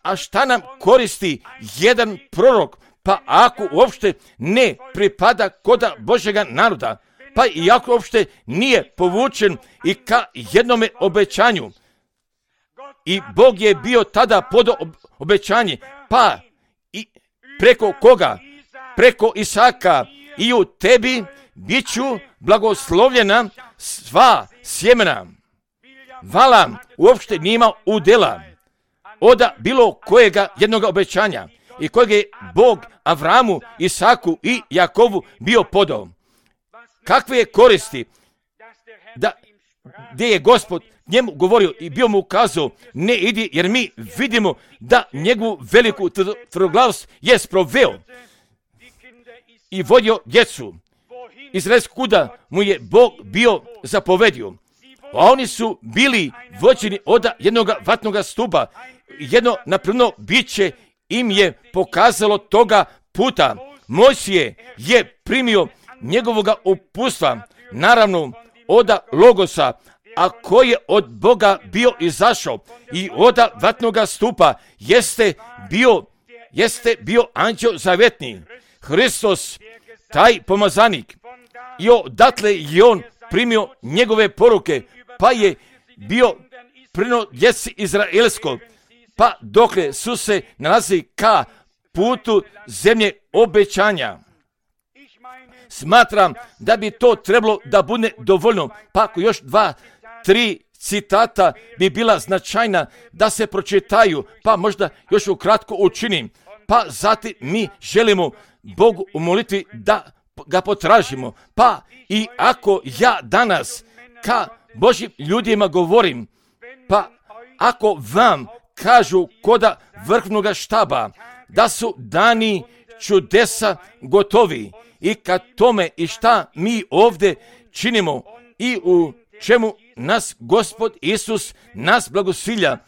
A šta nam koristi jedan prorok, pa ako uopšte ne pripada koda Božjega naroda, pa i ako uopšte nije povučen i ka jednome obećanju. I Bog je bio tada podao obećanje, pa i preko koga? Preko Isaka. I u tebi bit ću blagoslovljena sva sjemena. Valam uopšte nima udjela od bilo kojega jednog obećanja i kojeg je Bog Avramu, Isaku i Jakovu bio podao. Kakve je koristi da gdje je Gospod njemu govorio i bio mu ukazao, ne idi, jer mi vidimo da njegovu veliku tvrdoglavost je sproveo i vodio djecu izraelskog kuda mu je Bog bio zapovedio. A oni su bili vođeni od jednog vatnog stupa. Jedno napravno biće im je pokazalo toga puta. Mojsije je primio njegovoga upustva, naravno od Logosa, a koji je od Boga bio izašao i od vatnoga stupa jeste bio, jeste bio anđeo zavjetni, Hristos, taj pomazanik. I odatle je on primio njegove poruke, pa je bio prino djeci izraelskog, pa dokle su se nalazi ka putu zemlje obećanja. Smatram da bi to trebalo da bude dovoljno, pa ako još dva, tri citata bi bila značajna da se pročitaju, pa možda još ukratko učinim, pa zatim mi želimo Bogu u molitvi da ga potražimo. Pa i ako ja danas ka Božjim ljudima govorim, pa ako vam kažu koda vrhovnoga štaba da su dani čudesa gotovi i kad tome i šta mi ovdje činimo i u čemu nas Gospod Isus nas blagosilja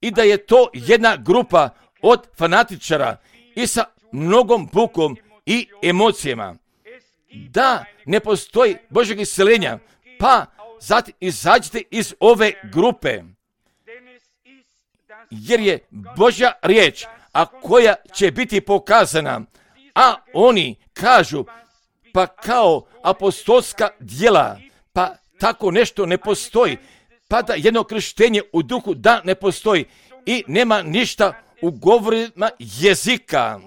i da je to jedna grupa od fanatičara i sa mnogom bukom i emocijama, da ne postoji Božjeg isceljenja, pa zatim izađite iz ove grupe, jer je Božja riječ, a koja će biti pokazana, a oni kažu, pa kao apostolska djela, pa tako nešto ne postoji, pa da jedno krštenje u duhu da ne postoji i nema ništa u govorima jezika.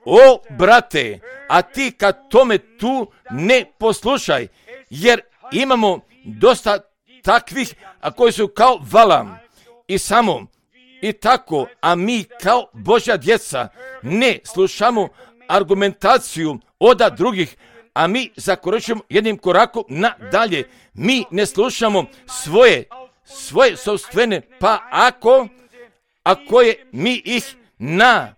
O, brate, a ti kad tome tu ne poslušaj, jer imamo dosta takvih, a koji su kao Valam i samo i tako, a mi kao Božja djeca ne slušamo argumentaciju od drugih, a mi zakoračujemo jednim korakom nadalje. Mi ne slušamo svoje, svoje sopstvene, pa ako, ako je mi ih na,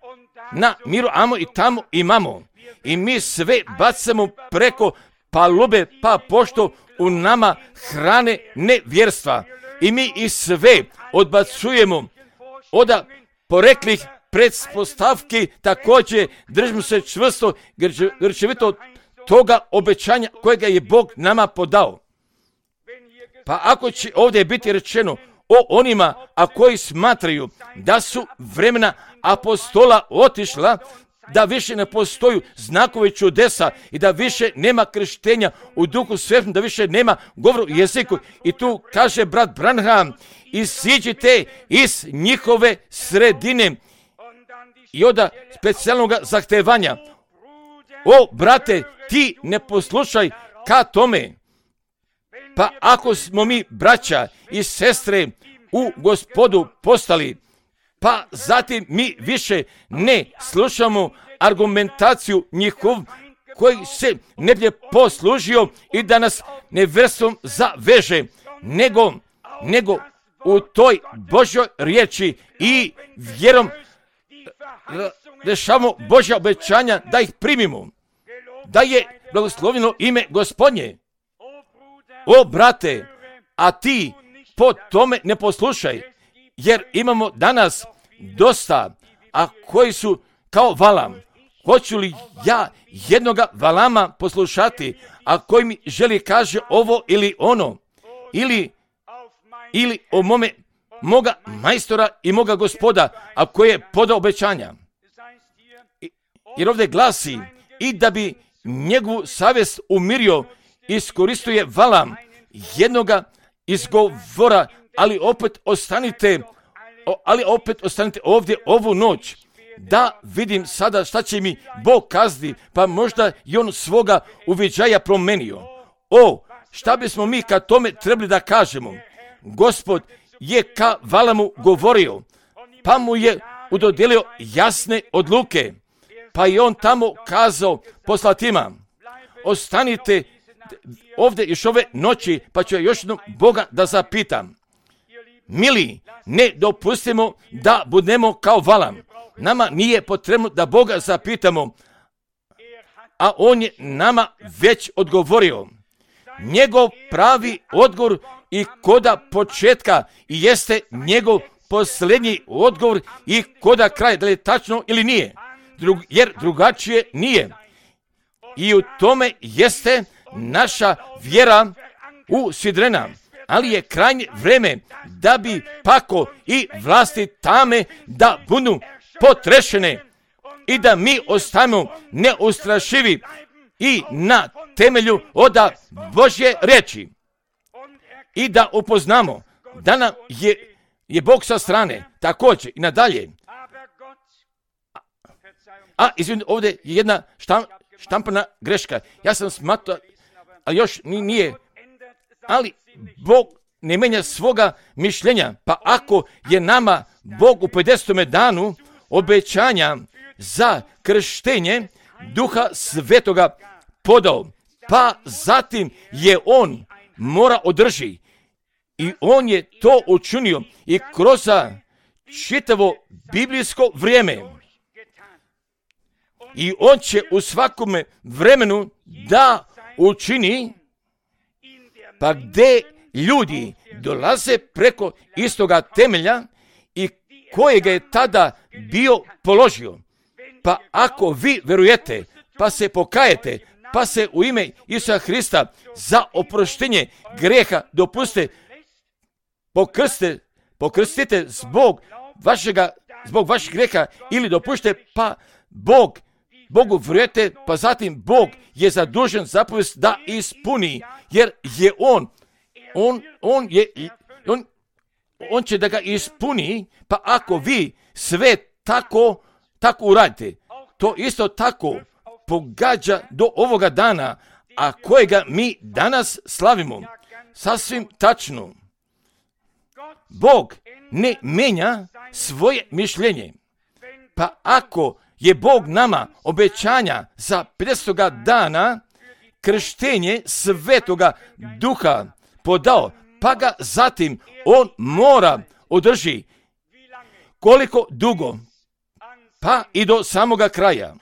na miru amo i tamo imamo. I mi sve bacamo preko palube, pa pošto u nama hrane nevjerstva. I mi ih sve odbacujemo od poreklih pretpostavki, također držimo se čvrsto, grčevito toga obećanja kojega je Bog nama podao. Pa ako će ovdje biti rečeno o onima, a koji smatraju da su vremena apostola otišla, da više ne postoju znakove čudesa i da više nema krštenja u Duhu Svetom, da više nema govoru u jeziku. I tu kaže brat Branham, isiđite iz njihove sredine i onda specijalnog zahtevanja. O, brate, ti ne poslušaj ka tome. Pa ako smo mi braća i sestre u Gospodu postali, pa zatim mi više ne slušamo argumentaciju njihov koji se ne bi poslužio i da nas nevjerstvom zaveže, nego, nego u toj Božjoj riječi i vjerom rešavamo Božja obećanja da ih primimo, da je blagoslovljeno ime Gospodnje. O, brate, a ti po tome ne poslušaj, jer imamo danas dosta, a koji su kao Valam. Hoću li ja jednoga Valama poslušati, a koji mi želi kaže ovo ili ono, ili, ili o mome, moga majstora i moga Gospoda, a koji je podao obećanja. Jer ovdje glasi, i da bi njegovu savjest umirio, iskoristio je Valam jednoga izgovora, ali opet ostanite, ali opet ostanite ovdje ovu noć, da vidim sada šta će mi Bog kazni, pa možda i on svoga uviđaja promenio. O, šta bismo mi ka tome trebali da kažemo? Gospod je ka Valamu govorio, pa mu je udodelio jasne odluke, pa je on tamo kazao poslatima, ostanite ovdje još ove noći, pa ću još jednom Boga da zapitam. Mili, ne dopustimo da budemo kao Valam. Nama nije potrebno da Boga zapitamo, a on je nama već odgovorio. Njegov pravi odgovor i koda početka i jeste njegov posljednji odgovor i koda kraj, da li je tačno ili nije, Drug, jer drugačije nije. I u tome jeste naša vjera u sidrena, ali je krajnje vreme da bi pako i vlasti tame da budu potrešene i da mi ostanemo neustrašivi i na temelju oda Božje riječi i da upoznamo da nam je, je Bog sa strane također i nadalje. A izvinite, ovdje je jedna štam, štampana greška. Ja sam smatrao, ali još nije. Ali Bog ne menja svoga mišljenja. Pa ako je nama Bog u pedesetom danu obećanja za krštenje Duha Svetoga podao, pa zatim je on mora održi. I on je to učinio i kroz čitavo biblijsko vrijeme. I on će u svakome vremenu da učini, pa gdje ljudi dolaze preko istoga temelja i kojega je tada bio položio. Pa ako vi verujete, pa se pokajete, pa se u ime Isusa Hrista za oproštenje greha dopuste, pokrste, pokrstite zbog vašega, zbog vašeg greha ili dopušte, pa Bog Bogu vjerujete, pa zatim Bog je zadužen zapovijest da ispuni, jer je on, on, on je, on, on će da ga ispuni, pa ako vi sve tako, tako uradite, to isto tako pogađa do ovoga dana, a kojega mi danas slavimo. Sasvim tačno. Bog ne menja svoje mišljenje, pa ako je Bog nama obećanja za pedesetoga dana krštenje Svetoga Duha podao, pa ga zatim on mora održi. Koliko dugo? Pa i do samoga kraja.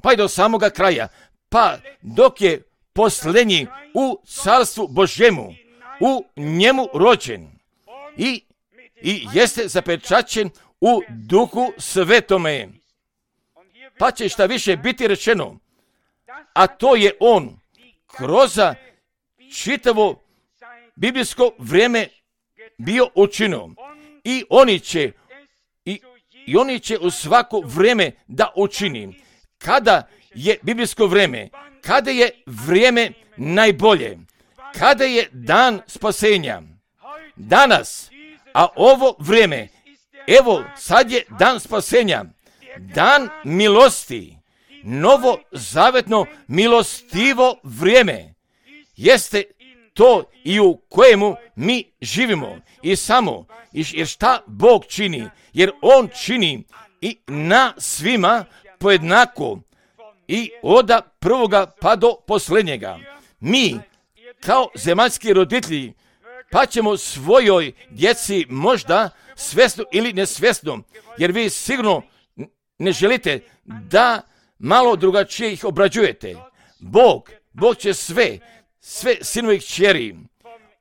Pa i do samoga kraja. Pa dok je posljednji u carstvu Božjemu, u njemu rođen i, i jeste zapečaćen u Duhu Svetome. Pa će šta više biti rečeno, a to je on kroz čitavo biblijsko vrijeme bio učinio. I oni će, i i oni će u svako vrijeme da učini. Kada je biblijsko vrijeme, kada je vrijeme najbolje, kada je dan spasenja, danas, a ovo vrijeme, evo sad je dan spasenja, dan milosti, novo zavetno milostivo vrijeme, jeste to i u kojemu mi živimo i samo, jer šta Bog čini, jer On čini i na svima pojednako i od prvoga pa do posljednjega. Mi, kao zemaljski roditelji, pa ćemo svojoj djeci možda svjesno ili nesvjesno, jer vi sigurno ne želite da malo drugačije ih obrađujete. Bog, Bog će sve, sve sinovih kćeri,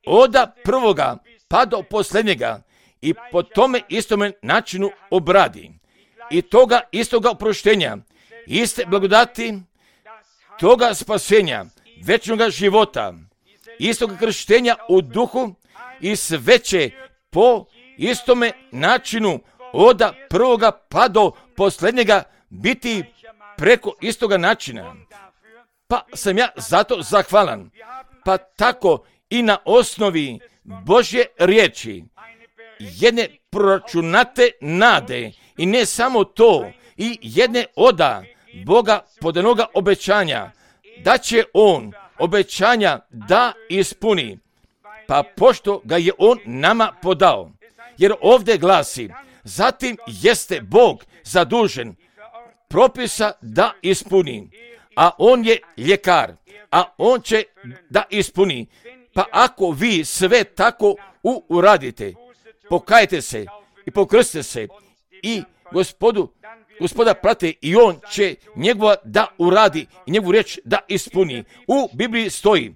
od prvoga pa do posljednjega i po tome istome načinu obradi. I toga istoga oproštenja, iste blagodati, toga spasenja, večnoga života, istoga krštenja u duhu i sve će po istome načinu od prvoga pa do posljednjega biti preko istoga načina. Pa sam ja zato zahvalan. Pa tako i na osnovi Božje riječi, jedne proračunate nade i ne samo to, i jedne oda Boga podanoga obećanja, da će On obećanja da ispuni, pa pošto ga je On nama podao. Jer ovdje glasi, zatim jeste Bog zadužen propisa da ispuni, a On je ljekar, a On će da ispuni. Pa ako vi sve tako uradite, pokajte se i pokrstite se i gospodu, gospoda prate i On će njegova da uradi i njegovu riječ da ispuni. U Bibliji stoji,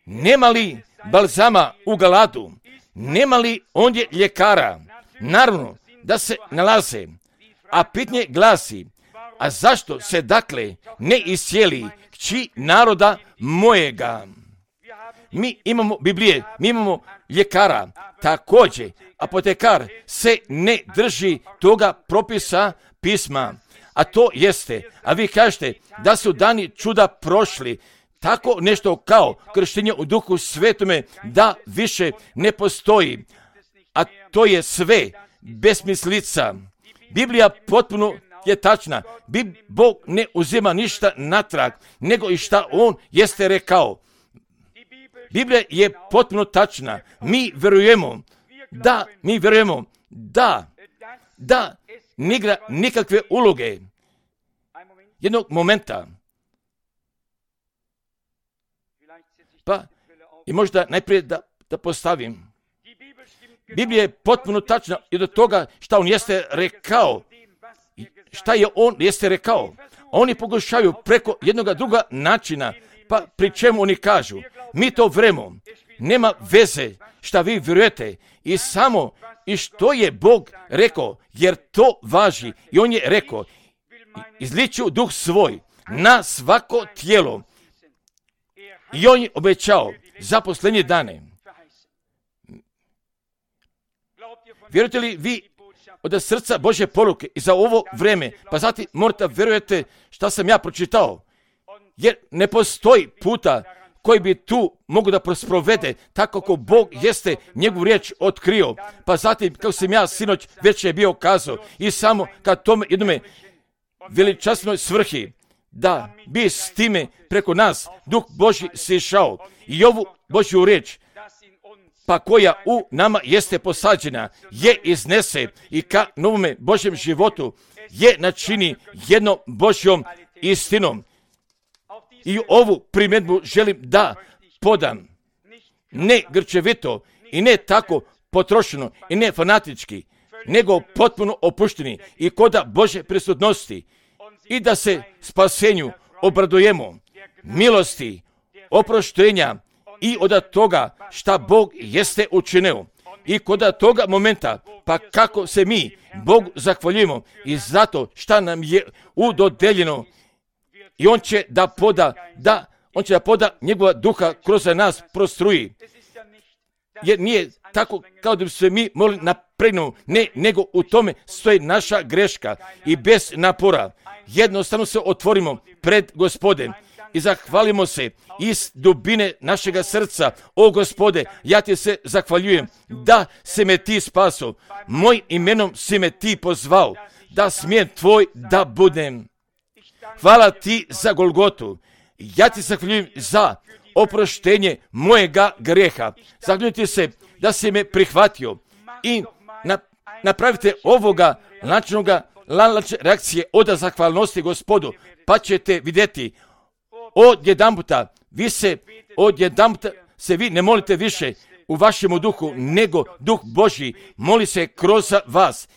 nema li balzama u Galadu, nema li ondje ljekara? Naravno da se nalaze, a pitanje glasi, a zašto se dakle ne iscijeli kći naroda mojega? Mi imamo Biblije, mi imamo ljekara, također apotekar se ne drži toga propisa pisma, a to jeste, a vi kažete da su dani čuda prošli, tako nešto kao krštenje u duhu svetome da više ne postoji, a to je sve besmislica. Biblija potpuno je tačna, Bog ne uzima ništa natrag, nego i šta On jeste rekao. Biblija je potpuno tačna. Mi vjerujemo da, mi vjerujemo da, da ne igra nikakve uloge. Jednog momenta. Pa, i možda najprije da, da postavim. Biblija je potpuno tačna i do toga šta On jeste rekao. Šta je On jeste rekao. Oni pokušaju preko jednoga druga načina, pa pri čemu oni kažu, mi to vremo, nema veze šta vi vjerujete i samo i što je Bog rekao, jer to važi. I On je rekao, izliću duh svoj na svako tijelo. I On je obećao za posljednje dane. Vjerujete li vi od srca Božje poruke i za ovo vrijeme, pa zatim morate vjerujete šta sam ja pročitao, jer ne postoji puta koji bi tu mogu da prosprovede tako kako Bog jeste njegovu riječ otkrio, pa zatim kako sam ja sinoć već je bio kazao i samo kad tome jednome veličasnoj svrhi da bi s time preko nas Duh Božji sišao i ovu Božju riječ pa koja u nama jeste posađena, je iznese i ka novome Božjem životu je načini jednom Božjom istinom. I ovu primjedbu želim da podam, ne grčevito i ne tako potrošeno i ne fanatički, nego potpuno opušteni i koda Božje prisutnosti i da se spasenju obradujemo, milosti, oproštenja i od toga šta Bog jeste učinio. I kod toga momenta, pa kako se mi Bogu zahvaljujemo i zato šta nam je udodeljeno i On će da poda, da, On će da poda njegova duha kroz nas prostruji. Jer nije tako kao da bi se mi molili na pregnu, ne, nego u tome stoji naša greška i bez napora. Jednostavno se otvorimo pred Gospodem i zahvalimo se iz dubine našega srca. O Gospode, ja ti se zahvaljujem da si me ti spaso, mojim imenom si me ti pozvao, da smijem tvoj da budem. Hvala ti za Golgotu. Ja ti zahvaljujem za oproštenje mojega grijeha. Zahvaljujem ti se da si me prihvatio i na, napravite ovoga lančanoga lančne reakcije od zahvalnosti Gospodu, pa ćete vidjeti od jedanputa, vi se od jedanputa se vi ne molite više u vašemu duhu, nego duh Božji moli se kroz vas,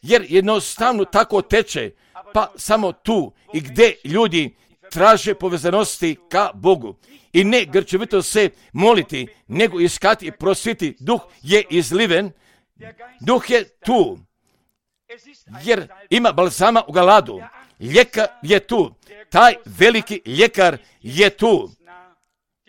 jer jednostavno tako teče, pa samo tu i gdje ljudi traže povezanosti ka Bogu i ne grčevito se moliti, nego iskati i prosviti. Duh je izliven, duh je tu, jer ima balzama u Galadu. Ljekar je tu, taj veliki ljekar je tu.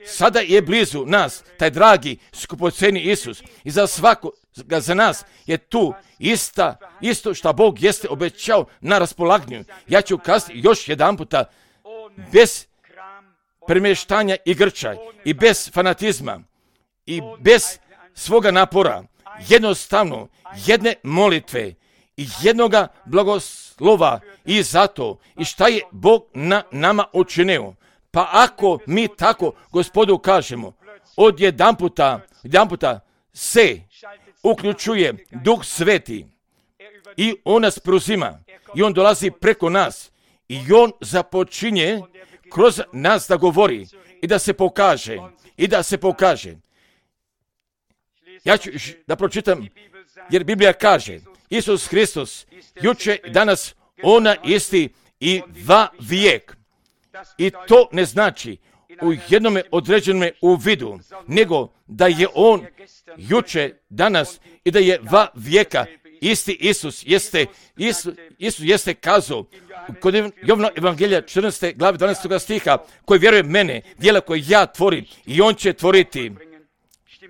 Sada je blizu nas, taj dragi, skupoceni Isus. I za svakoga za nas je tu ista, isto što Bog jeste obećao na raspolaganju. Ja ću kazati još jedan puta, bez premještanja i grča, i bez fanatizma, i bez svoga napora, jednostavno, jedne molitve i jednoga blagoslova i zato i šta je Bog na nama učinio. Pa ako mi tako Gospodu kažemo, od jedan puta, jedan puta se uključuje Duh Sveti i On nas preuzima i On dolazi preko nas i On započinje kroz nas da govori i da se pokaže i da se pokaže. Ja ću da pročitam, jer Biblija kaže, Isus Hristos, juče i danas, ona isti i va vijek. I to ne znači u jednome određenome u vidu, nego da je On juče, danas i da je va vijeka. Isti Isus jeste, Isus, Isus jeste kazao kod Jovana Evangelija četrnaeste glave dvanaestog stiha, koji vjeruje mene, djela koje ja tvorim i On će tvoriti.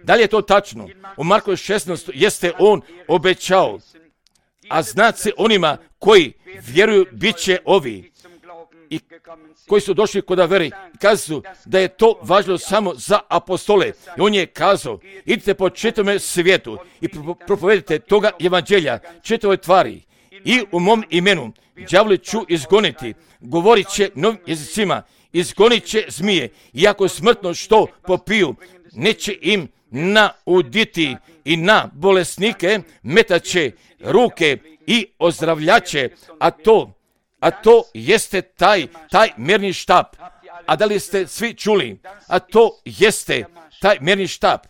Da li je to tačno? U Marku šesnaest jeste On obećao, a znat se onima koji vjeruju bit će ovi i koji su došli kod veri, kažu da je to važno samo za apostole. I On je kazao, idite po čitavome svijetu i propovedite toga evanđelja čitavoj tvari i u mom imenu đavoli ću izgoniti, govorit će novim jezicima, izgonit će zmije, iako smrtno što popiju, neće im nauditi i na bolesnike metaće ruke i ozdravljaće, a to, a to jeste taj, taj mjerni štap. A da li ste svi čuli? A to jeste taj mjerni štap,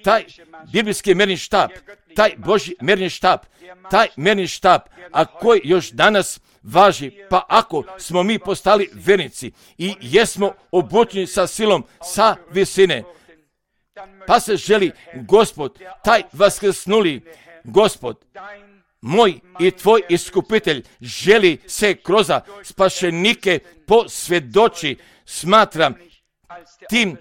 taj biblijski mjerni štap, taj Božji mjerni štap, taj mjerni štap, a koji još danas važi, pa ako smo mi postali vernici i jesmo obučeni sa silom, sa visine, pa se želi Gospod, taj vaskrsnuli Gospod, moj i tvoj iskupitelj, želi se kroz spašenike posvjedoči, smatram tim,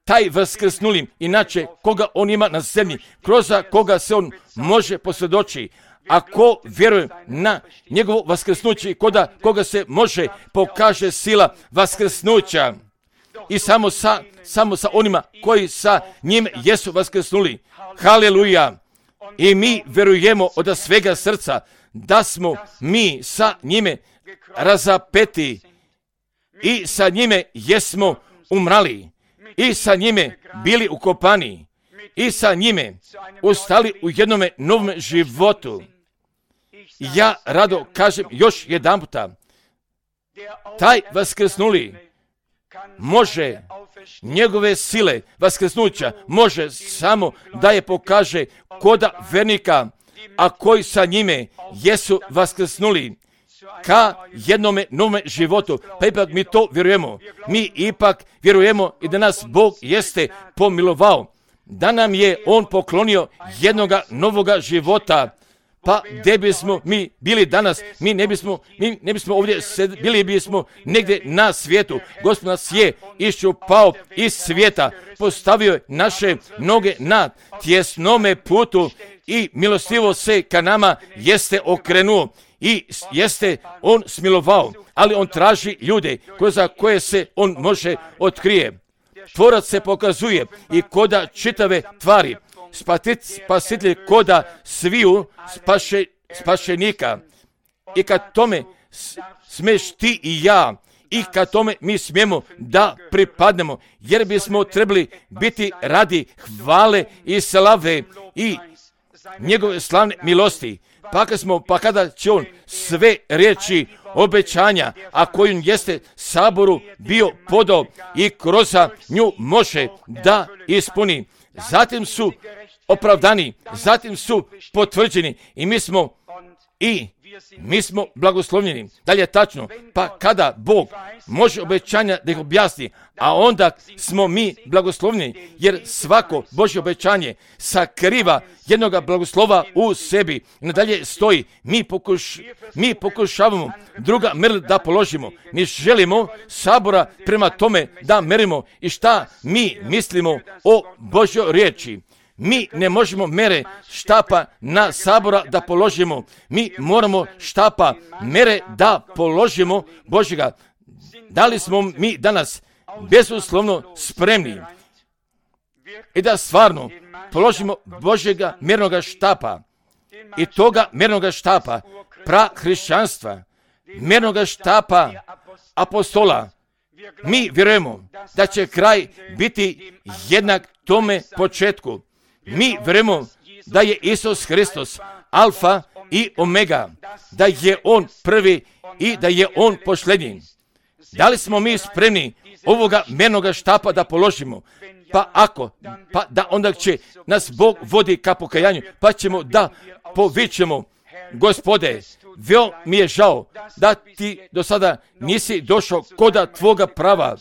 taj vaskrsnulim, inače koga On ima na zemlji, kroz koga se On može posvjedoči. Ako vjerujem na njegovo vaskrsnuće, koda koga se može pokaže sila vaskrsnuća i samo sa, samo sa onima koji sa njim jesu vaskrsnuli. Haleluja! I mi vjerujemo od svega srca da smo mi sa njime razapeti i sa njime jesmo umrali i sa njime bili ukopani i sa njime ustali u jednome novom životu. Ja rado kažem još jedan puta, taj vaskrsnuli može njegove sile vaskrsnuća može samo da je pokaže koda vernika, a koji sa njime jesu vaskrsnuli ka jednome novome životu. Pa ipak mi to vjerujemo. Mi ipak vjerujemo i da nas Bog jeste pomilovao, da nam je On poklonio jednoga novoga života. Pa gdje bismo mi bili danas? Mi ne bismo, mi ne bismo ovdje sed, bili bismo negdje na svijetu. Gospod nas je iščupao iz svijeta, postavio je naše noge na tjesnome putu i milostivo se ka nama jeste okrenuo i jeste on smilovao, ali on traži ljude za koje se on može otkrije. Tvorac se pokazuje i koda čitave tvari, spasitelj koda sviju spaše, spašenika. I kad tome smeš ti i ja, i kad tome mi smijemo da pripadnemo, jer bismo trebali biti radi hvale i slave i njegove slavne milosti. Pa kad smo, pa kada će on sve riječi obećanja, a kojim jeste saboru bio podao i kroz nju može da ispuni. Zatim su opravdani, zatim su potvrđeni i mi smo i mi smo blagoslovljeni. Da li je tačno? Pa kada Bog može obećanja da ih objasni, a onda smo mi blagoslovljeni, jer svako Božje obećanje sakriva jednoga blagoslova u sebi. I nadalje stoji, mi, pokuš, mi pokušavamo druga mjerila da položimo. Mi želimo sabora prema tome da merimo i šta mi mislimo o Božjoj riječi. Mi ne možemo mere štapa na sabora da položimo. Mi moramo štapa mere da položimo Božjega. Da li smo mi danas bezuslovno spremni i da stvarno položimo Božjega mjernoga štapa i toga mjernoga štapa pra hrišćanstva, mjernoga štapa apostola. Mi vjerujemo da će kraj biti jednak tome početku. Mi vjerujemo da je Isus Hristos alfa i omega, da je on prvi i da je on posljednji. Da li smo mi spremni ovoga mjernoga štapa da položimo? Pa ako, pa da onda će nas Bog vodi ka pokajanju, pa ćemo da povićemo, Gospode, veo mi je žao da ti do sada nisi došao koda tvoga prava,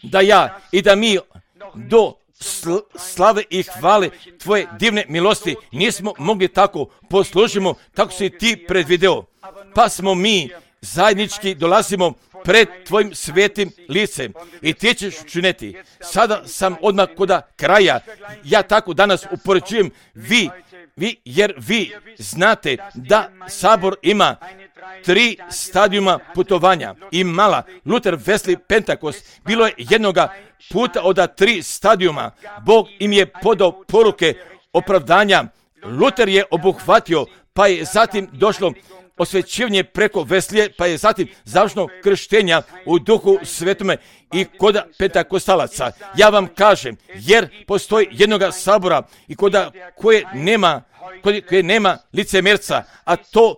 da ja i da mi do sl- slave i hvale tvoje divne milosti nismo mogli tako poslužimo kako si ti predvideo. Pa smo mi zajednički dolazimo pred tvojim svetim licem i ti ćeš učiniti. Sada sam odmah koda kraja. Ja tako danas upoređujem vi, vi, jer vi znate da sabor ima tri stadijuma putovanja. I mala Luther, Wesley, Pentekost, bilo je jednoga puta od tri stadijuma. Bog im je podao poruke opravdanja. Luther je obuhvatio, pa je zatim došlo osvećivanje preko Veslije, pa je zatim završno krštenja u duhu svetome i koda pentakostalaca. Ja vam kažem, jer postoji jednoga sabora i koda koje nema, koje, koje nema licemjerca, a to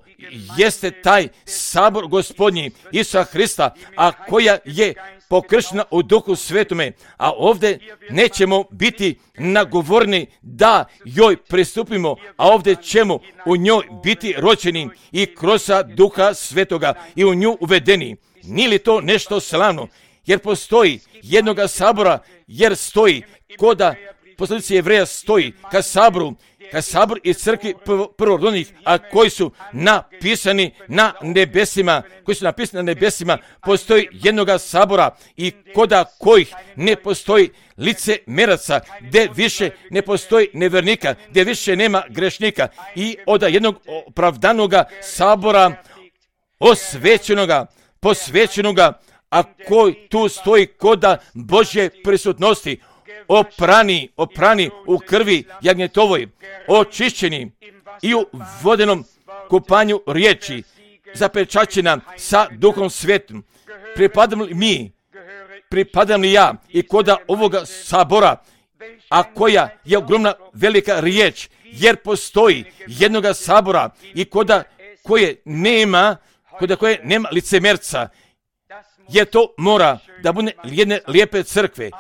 jeste taj sabor Gospodnji Isusa Hrista, a koja je pokrštena u duhu svetome, a ovdje nećemo biti nagovorni da joj pristupimo, a ovdje ćemo u njoj biti rođeni i kroz duha svetoga i u nju uvedeni. Nije li to nešto slavno? Jer postoji jednoga sabora, jer stoji koda poslanici Jevreja stoji ka saboru, ka sabor i crkvi prvorodnih, a koji su napisani na nebesima, koji su napisani na nebesima, postoji jednoga sabora i koda kojih ne postoji lice meraca, gdje više ne postoji nevernika, gdje više nema grešnika i od jednog opravdanoga sabora osvećenoga, posvećenoga, a koji tu stoji koda Božje prisutnosti, oprani, oprani u krvi jagnjetovoj, očišćeni i u vodenom kupanju riječi, zapečaćena sa Duhom Svetom. Pripadam li mi, pripadam li ja i koda ovoga sabora, a koja je ogromna velika riječ, jer postoji jednoga sabora i koda koje nema, koda koje nema licemjerca, jer to mora da bude jedne lijepe crkve,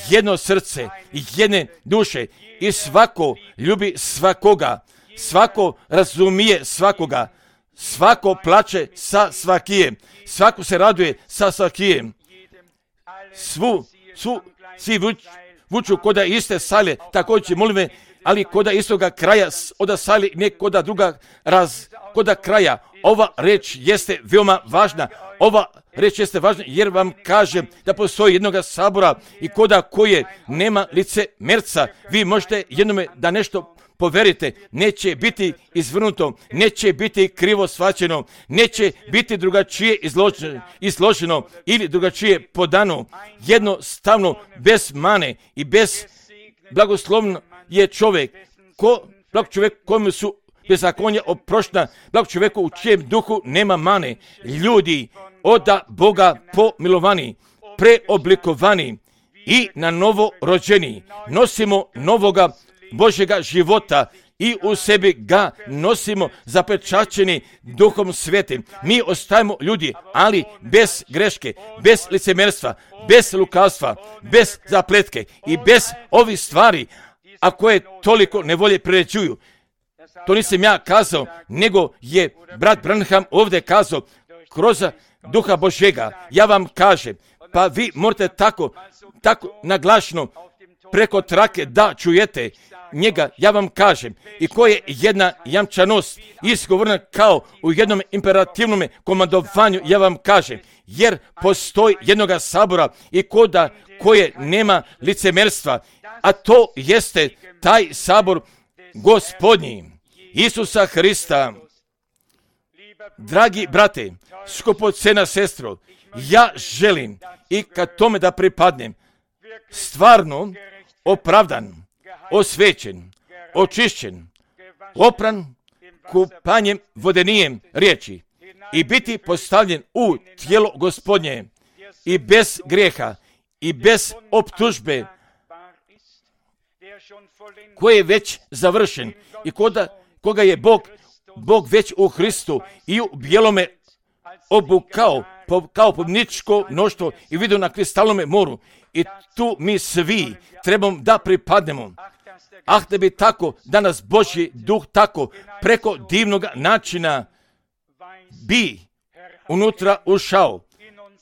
jedno srce, jedne duše i svako ljubi svakoga, svako razumije svakoga, svako plače sa svakijem, svako se raduje sa svakijem. Svu, svu, svi vuču koda iste sale, također molim me, ali koda istoga kraja oda sali, ne koda druga raz, koda kraja. Ova reč jeste veoma važna. Ova reč jeste važna jer vam kažem da postoji jednoga sabora i koda koje nema lice merca. Vi možete jednome da nešto poverite, neće biti izvrnuto, neće biti krivo shvaćeno, neće biti drugačije izloženo, izloženo ili drugačije podano. Jednostavno, bez mane i bez blagoslovno je čovjek, ko, blag čovjek kome su bezakonja oproštena, blag čovjeku u čijem duhu nema mane. Ljudi oda Boga pomilovani, preoblikovani i na novo rođeni. Nosimo novoga Božjega života i u sebi ga nosimo zapečaćeni Duhom Svetim. Mi ostajemo ljudi, ali bez greške, bez licemerstva, bez lukavstva, bez zapletke i bez ovih stvari, a koje toliko nevolje priređuju. To nisam ja kazao, nego je brat Branham ovdje kazao kroz Duha Božjega. Ja vam kažem, pa vi morate tako, tako naglašno preko trake da čujete njega, ja vam kažem, i koje je jedna jamčanost izgovorena kao u jednom imperativnom komandovanju, ja vam kažem, jer postoji jednoga sabora i koda koje nema licemerstva, a to jeste taj sabor Gospodnji, Isusa Hrista. Dragi brate, skupocena sestro, ja želim i kad tome da pripadnem, stvarno opravdan, osvećen, očišćen, opran kupanjem vodenijem riječi i biti postavljen u tijelo Gospodnje i bez grijeha i bez optužbe koji je već završen i koda, koga je Bog, Bog već u Hristu i u bijelome obukao po, kao pobjedničko mnoštvo i vidio na kristalnome moru. I tu mi svi trebamo da pripadnemo. Ah, da bi tako danas Božji duh tako preko divnog načina bi unutra ušao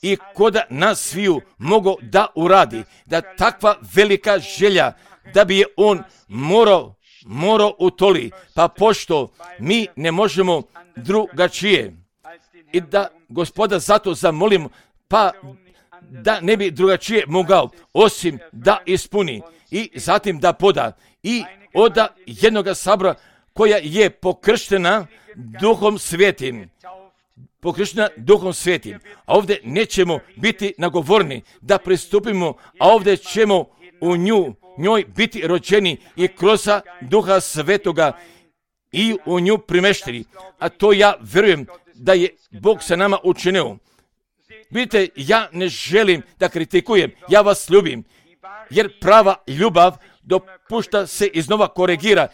i koda nas sviju mogo da uradi, da takva velika želja da bi je on morao, morao utoli, pa pošto mi ne možemo drugačije i da Gospoda zato zamolimo, pa da ne bi drugačije mogao, osim da ispuni i zatim da poda i oda jednoga sabora koja je pokrštena Duhom Svetim. Pokrštena Duhom Svetim. A ovdje nećemo biti nagovorni da pristupimo, a ovdje ćemo u nju, njoj biti rođeni i kroz Duha Svetoga i u nju primešteni. A to ja vjerujem da je Bog sa nama učinio. Vidite, ja ne želim da kritikujem, ja vas ljubim, jer prava ljubav dopušta se iznova koregira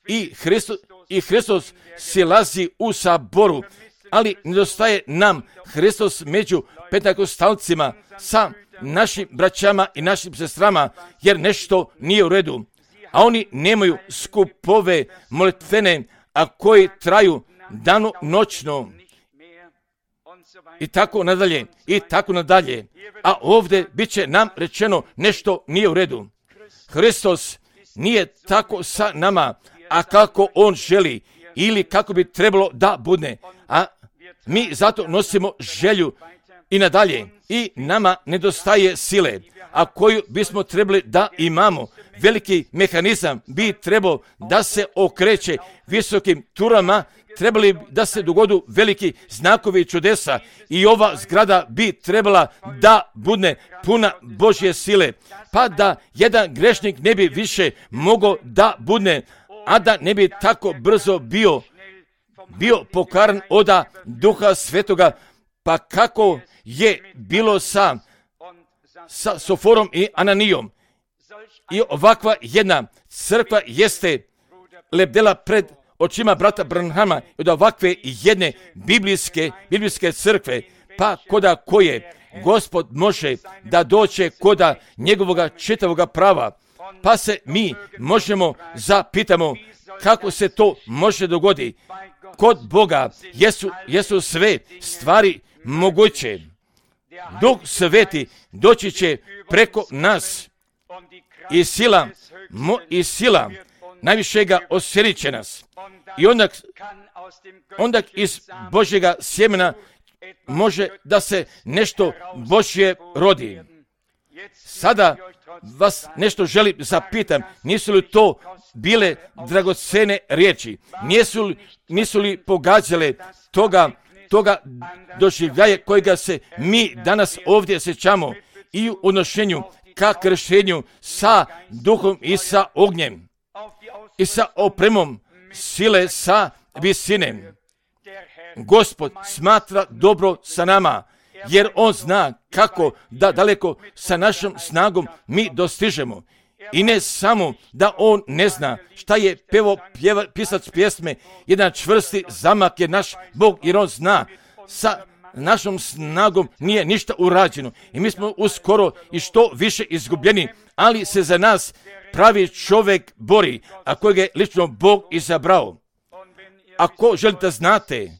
i Hristos, i Hristos silazi u saboru, ali nedostaje nam Hristos među pentakostalcima sa našim braćama i našim sestrama, jer nešto nije u redu, a oni nemaju skupove molitvene, a koji traju dano noćno. I tako nadalje, i tako nadalje. A ovdje bit će nam rečeno nešto nije u redu. Hristos nije tako sa nama, a kako on želi, ili kako bi trebalo da bude. A mi zato nosimo želju i nadalje. I nama nedostaje sile, a koju bismo trebali da imamo. Veliki mehanizam bi trebao da se okreće visokim turama, trebali da se dogodu veliki znakovi i čudesa i ova zgrada bi trebala da bude puna Božje sile, pa da jedan grešnik ne bi više mogao da bude, a da ne bi tako brzo bio, bio pokaran od Duha Svetoga, pa kako je bilo sa, sa Soforom i Ananijom. I ovakva jedna crkva jeste lebdela pred očima brata Branhama od ovakve jedne biblijske, biblijske crkve, pa koda koje Gospod može da doće koda njegovoga čitavoga prava, pa se mi možemo zapitamo kako se to može dogoditi. Kod Boga jesu, jesu sve stvari moguće. Duh Sveti doći će preko nas i sila, mo, i sila najvišega osjelit će nas. I onda, onda iz Božjega sjemena može da se nešto Božje rodi. Sada vas nešto želim zapitam, nisu li to bile dragocene riječi? Nisu li, nisu li pogađale toga, toga doživljaje kojega se mi danas ovdje sjećamo i u odnošenju ka kršenju sa duhom i sa ognjem i sa opremom sile sa visine. Gospod smatra dobro sa nama, jer on zna kako da daleko sa našom snagom mi dostižemo. I ne samo da on ne zna šta je pevo pjeva, pisac pjesme, jedan čvrsti zamak je naš Bog, jer on zna sa našom snagom nije ništa urađeno. I mi smo uskoro i što više izgubljeni, ali se za nas pravi čovjek bori, a kojeg je lično Bog izabrao. Ako želite znate,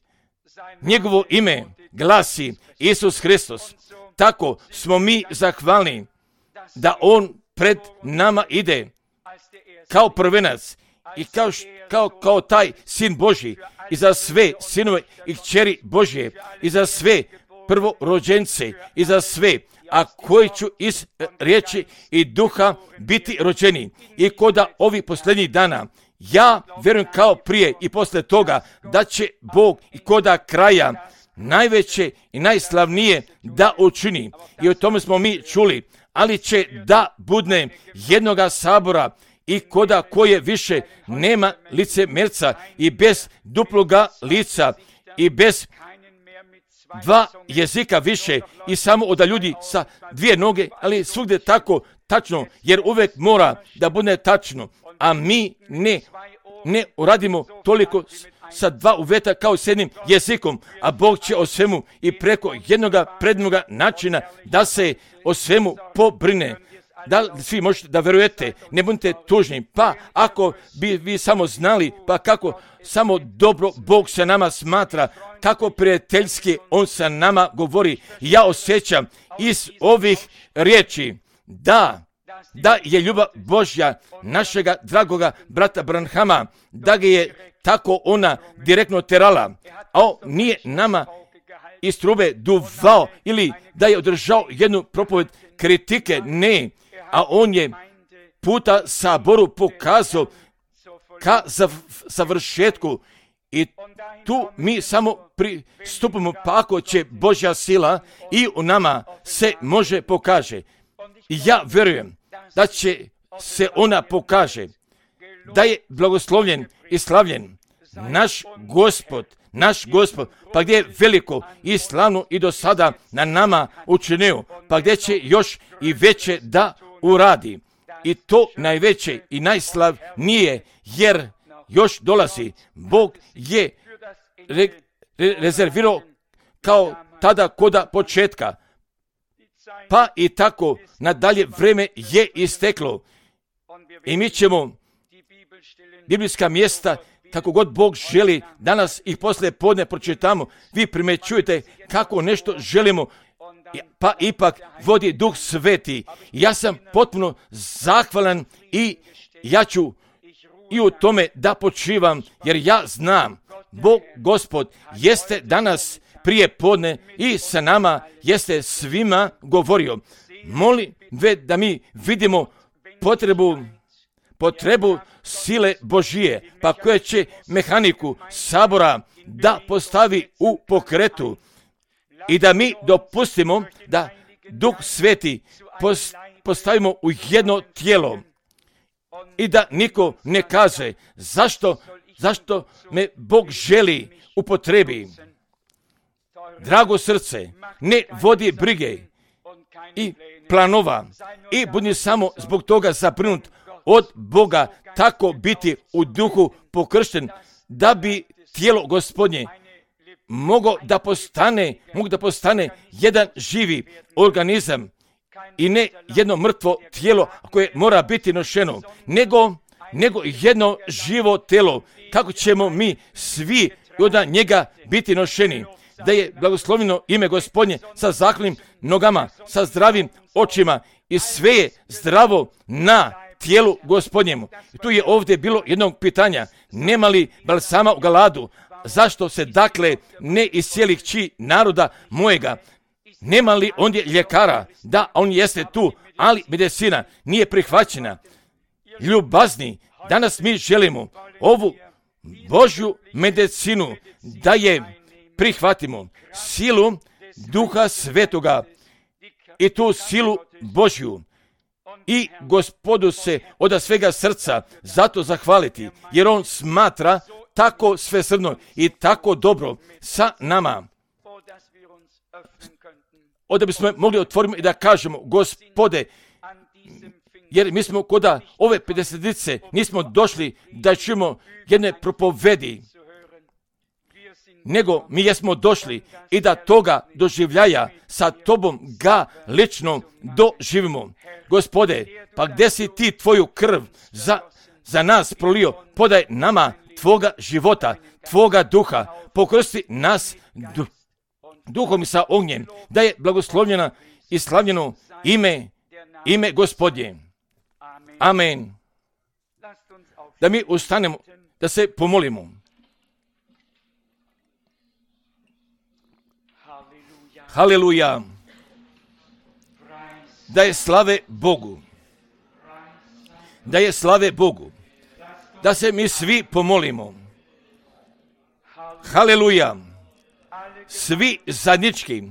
njegovo ime glasi Isus Hristos. Tako smo mi zahvalni da on pred nama ide kao prvenac i kao, kao, kao taj sin Božji i za sve sinove i kćeri Božje i za sve prvorođence i za sve, a koji ću iz riječi i duha biti rođeni. I koda ovih posljednjih dana, ja vjerujem kao prije i poslije toga da će Bog i koda kraja najveće i najslavnije da učini. I o tome smo mi čuli, ali će da budne jednoga sabora i koda koje više nema licemerca i bez duploga lica i bez dva jezika više i samo od ljudi sa dvije noge, ali svugdje tako tačno, jer uvijek mora da bude tačno, a mi ne, ne uradimo toliko sa dva uvjeta kao s jednim jezikom, a Bog će o svemu i preko jednoga prednoga načina da se o svemu pobrine. Da li svi možete da verujete, ne budite tužni, pa ako bi vi samo znali, pa kako samo dobro Bog sa nama smatra, kako prijateljski on sa nama govori, ja osjećam iz ovih riječi da, da je ljubav Božja našega dragoga brata Branhama, da ga je tako ona direktno terala, a on nije nama iz trube duvao ili da je održao jednu propoved kritike, ne, a on je puta saboru pokazao ka završetku i tu mi samo pristupimo, pa ako će Božja sila i u nama se može pokaže. I ja vjerujem da će se ona pokaže, da je blagoslovljen i slavljen naš Gospod, naš Gospod, pa gdje je veliko i slavno i do sada na nama učinio, pa gdje će još i veće da uradi. I to najveće i najslavnije, jer još dolazi. Bog je re, re, rezervirao kao tada koda početka, pa i tako nadalje vreme je isteklo. I mi ćemo biblijska mjesta, kako god Bog želi, danas ih poslije podne pročitamo. Vi primećujete kako nešto želimo, pa ipak vodi Duh Sveti. Ja sam potpuno zahvalan i ja ću i u tome da počivam, jer ja znam, Bog Gospod jeste danas prije podne i sa nama jeste svima govorio. Molim ve da mi vidimo potrebu, potrebu sile Božije, pa koja će mehaniku sabora da postavi u pokretu i da mi dopustimo da Duh Sveti postavimo u jedno tijelo i da niko ne kaže zašto, zašto me Bog želi upotrebi. Drago srce, ne vodi brige i planova i budi samo zbog toga zabrinut od Boga, tako biti u duhu pokršten, da bi tijelo Gospodnje mogo da postane, mogu da postane jedan živi organizam i ne jedno mrtvo tijelo koje mora biti nošeno, nego, nego jedno živo tijelo, kako ćemo mi svi od njega biti nošeni. da je blagoslovljeno ime Gospodnje sa zahvalnim nogama, sa zdravim očima i sve je zdravo na tijelu Gospodnjemu. I tu je ovdje bilo jednog pitanja, nema li balsama u Galadu, zašto se dakle ne iscijeli kći naroda mojega? Nema li ondje ljekara? Da, on jeste tu, ali medicina nije prihvaćena. Ljubazni, danas mi želimo ovu Božju medicinu da je prihvatimo, silu Duha Svetoga i tu silu Božju. I Gospodu se od svega srca zato zahvaliti, jer on smatra tako svesrdno i tako dobro sa nama. Onda bismo mogli otvoriti i da kažemo, Gospode, jer mi smo kod ove pedesetice nismo došli da čujemo jedne propovedi, nego mi jesmo došli i da toga doživljaja sa tobom ga lično doživimo. Gospode, pa gdje si ti tvoju krv za, za nas prolio? Podaj nama tvoga života, tvoga duha, pokrsti nas du, duhom i sa ognjem, da je blagoslovljena i slavljeno ime, ime Gospodnje. Amen. Da mi ustanemo, da se pomolimo. Haleluja. Da je slave Bogu. Da je slave Bogu. Da se mi svi pomolimo. Haleluja. Svi zajednički,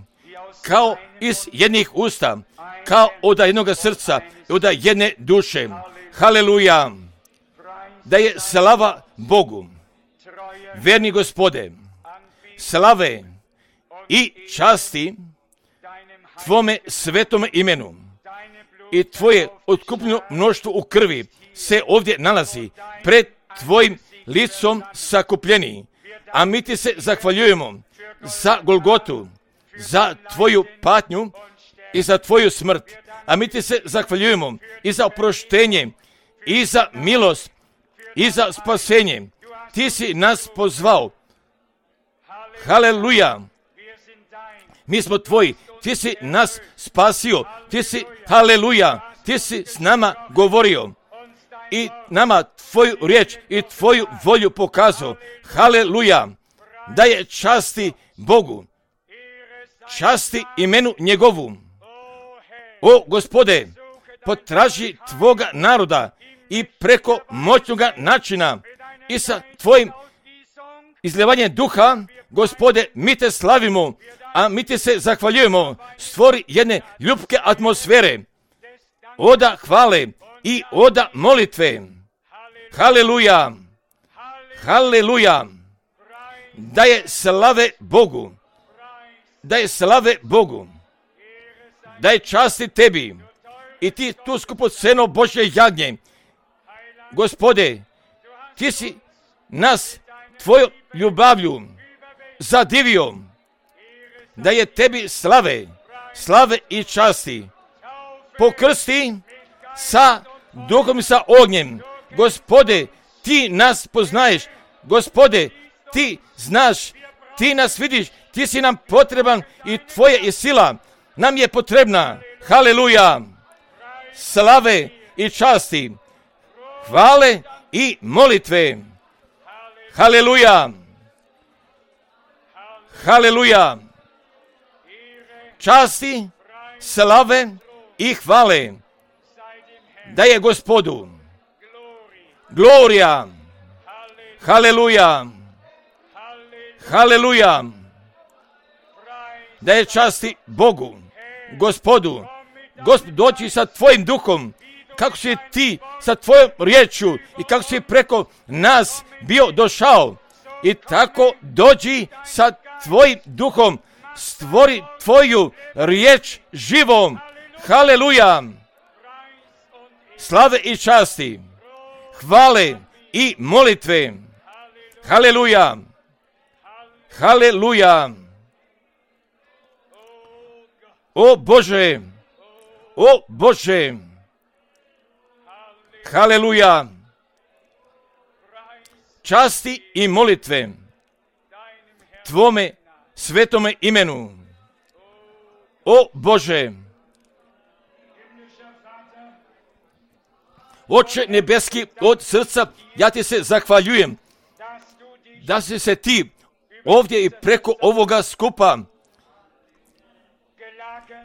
kao iz jednih usta, kao od jednog srca, od jedne duše. Haleluja. Da je slava Bogu. Verni Gospode, slave i časti tvome svetome imenu i tvoje otkupljeno mnoštvo u krvi se ovdje nalazi pred tvojim licom sakupljeni, a mi ti se zahvaljujemo za Golgotu, za tvoju patnju i za tvoju smrt, a mi ti se zahvaljujemo i za oproštenje i za milost i za spasenje. Ti si nas pozvao. Haleluja. Mi smo tvoji. Ti si nas spasio. Ti si, haleluja, ti si s nama govorio i nama tvoju riječ i tvoju volju pokazao. Haleluja. Da je časti Bogu. Časti imenu njegovu. O Gospode, potraži tvoga naroda i preko moćnoga načina i sa tvojim izljevanjem duha, Gospode, mi te slavimo, a mi ti se zahvaljujemo. Stvori jedne ljubke atmosfere, oda hvale i oda molitve. Haleluja, haleluja, da je slave Bogu, da je slave Bogu, da je časti tebi i ti tu skupoceno Božje jagnje. Gospode, ti si nas tvojom ljubavlju zadivio, da je tebi slave, slave i časti. Pokrsti sa duhom i sa ognjem. Gospode, ti nas poznaješ. Gospode, ti znaš, ti nas vidiš, ti si nam potreban i tvoja je sila nam je potrebna. Haleluja, slave i časti, hvale i molitve. Haleluja, haleluja, časti, slave i hvale da je Gospodu. Gloria, haleluja, haleluja, da je časti Bogu, Gospodu. Gospod, doći sa tvojim duhom, kako si ti sa tvojom riječju i kako si preko nas bio došao. I tako dođi sa tvojim duhom, stvori tvoju riječ živom. Haleluja, slave i časti, hvale i molitve. Haleluja, haleluja. O Bože, o Bože, haleluja, časti i molitve tvome svetome imenu. O Bože, Oče nebeski, od srca ja ti se zahvaljujem da si se ti ovdje i preko ovoga skupa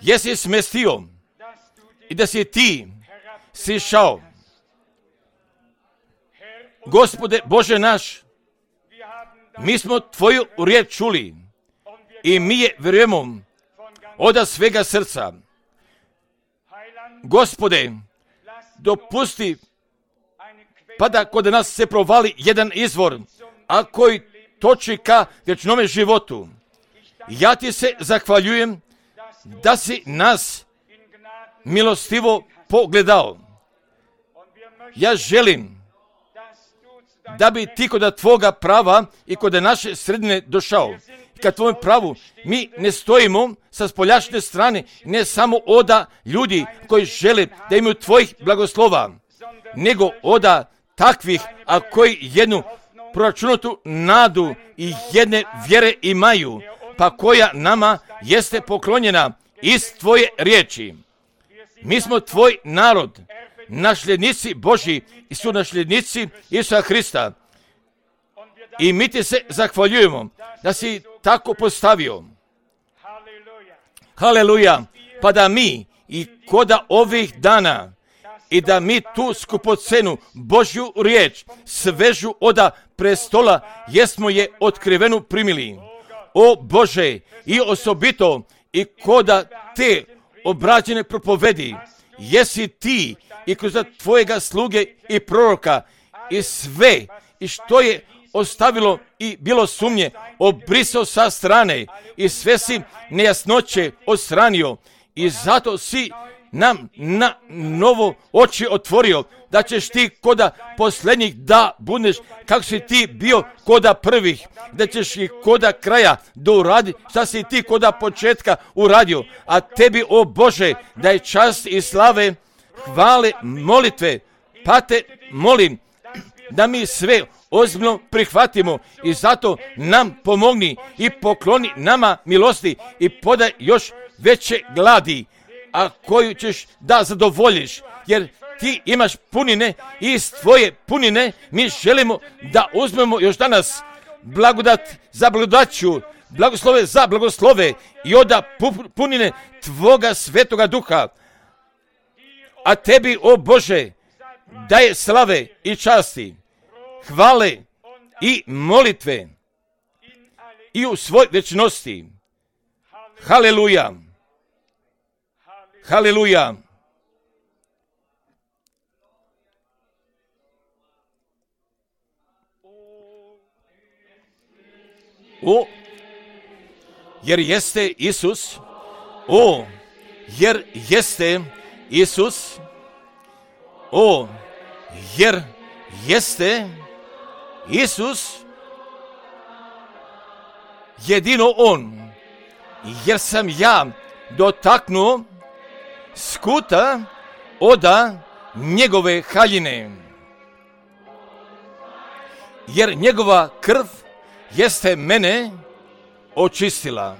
jesi smestio i da si ti sišao. Gospode Bože naš, mi smo tvoju riječ čuli i mi je vjerujemo od svega srca. Gospode, dopusti pa da kod nas se provali jedan izvor, a koji toči ka vječnome životu. Ja ti se zahvaljujem da si nas milostivo pogledao. Ja želim da bi ti kod tvoga prava i kod naše sredine došao. Kad tvojom pravu mi ne stojimo sa spoljašnje strane, ne samo oda ljudi koji žele da imaju tvojih blagoslova, nego oda takvih, a koji jednu proračunatu nadu i jedne vjere imaju, pa koja nama jeste poklonjena iz tvoje riječi. Mi smo tvoj narod, nasljednici Božji i su nasljednici Isusa Hrista. I mi ti se zahvaljujemo da si tako postavio. Haleluja. Pa da mi i koda ovih dana i da mi tu skupocenu Božju riječ svežu oda prestola jesmo je otkrivenu primili. O Bože, i osobito i koda te obrađene propovedi jesi ti i kroz tvojega sluge i proroka i sve i što je ostavilo i bilo sumnje obrisao sa strane i sve si nejasnoće odstranio i zato si nam na novo oči otvorio da ćeš ti koda posljednjih da budeš kako si ti bio koda prvih, da ćeš i koda kraja da uradi šta si ti koda početka uradio, a tebi o Bože da je čast i slave, hvale, molitve, pa te molim da mi sve ozbiljno prihvatimo i zato nam pomogni i pokloni nama milosti i podaj još veće gladi, a koju ćeš da zadovoljiš, jer ti imaš punine i iz tvoje punine mi želimo da uzmemo još danas blagodat za blagodaću, blagoslove za blagoslove i oda punine tvoga svetoga duha. A tebi, o Bože, daje slave i časti, hvale i molitve i u svoj večnosti. Haleluja. Haleluja. O, jer jeste Isus, o, jer jeste Isus, o, jer jeste Isus, jedino On, jer sam ja dotaknuo skuta oda njegove haljine, jer njegova krv jeste mene očistila.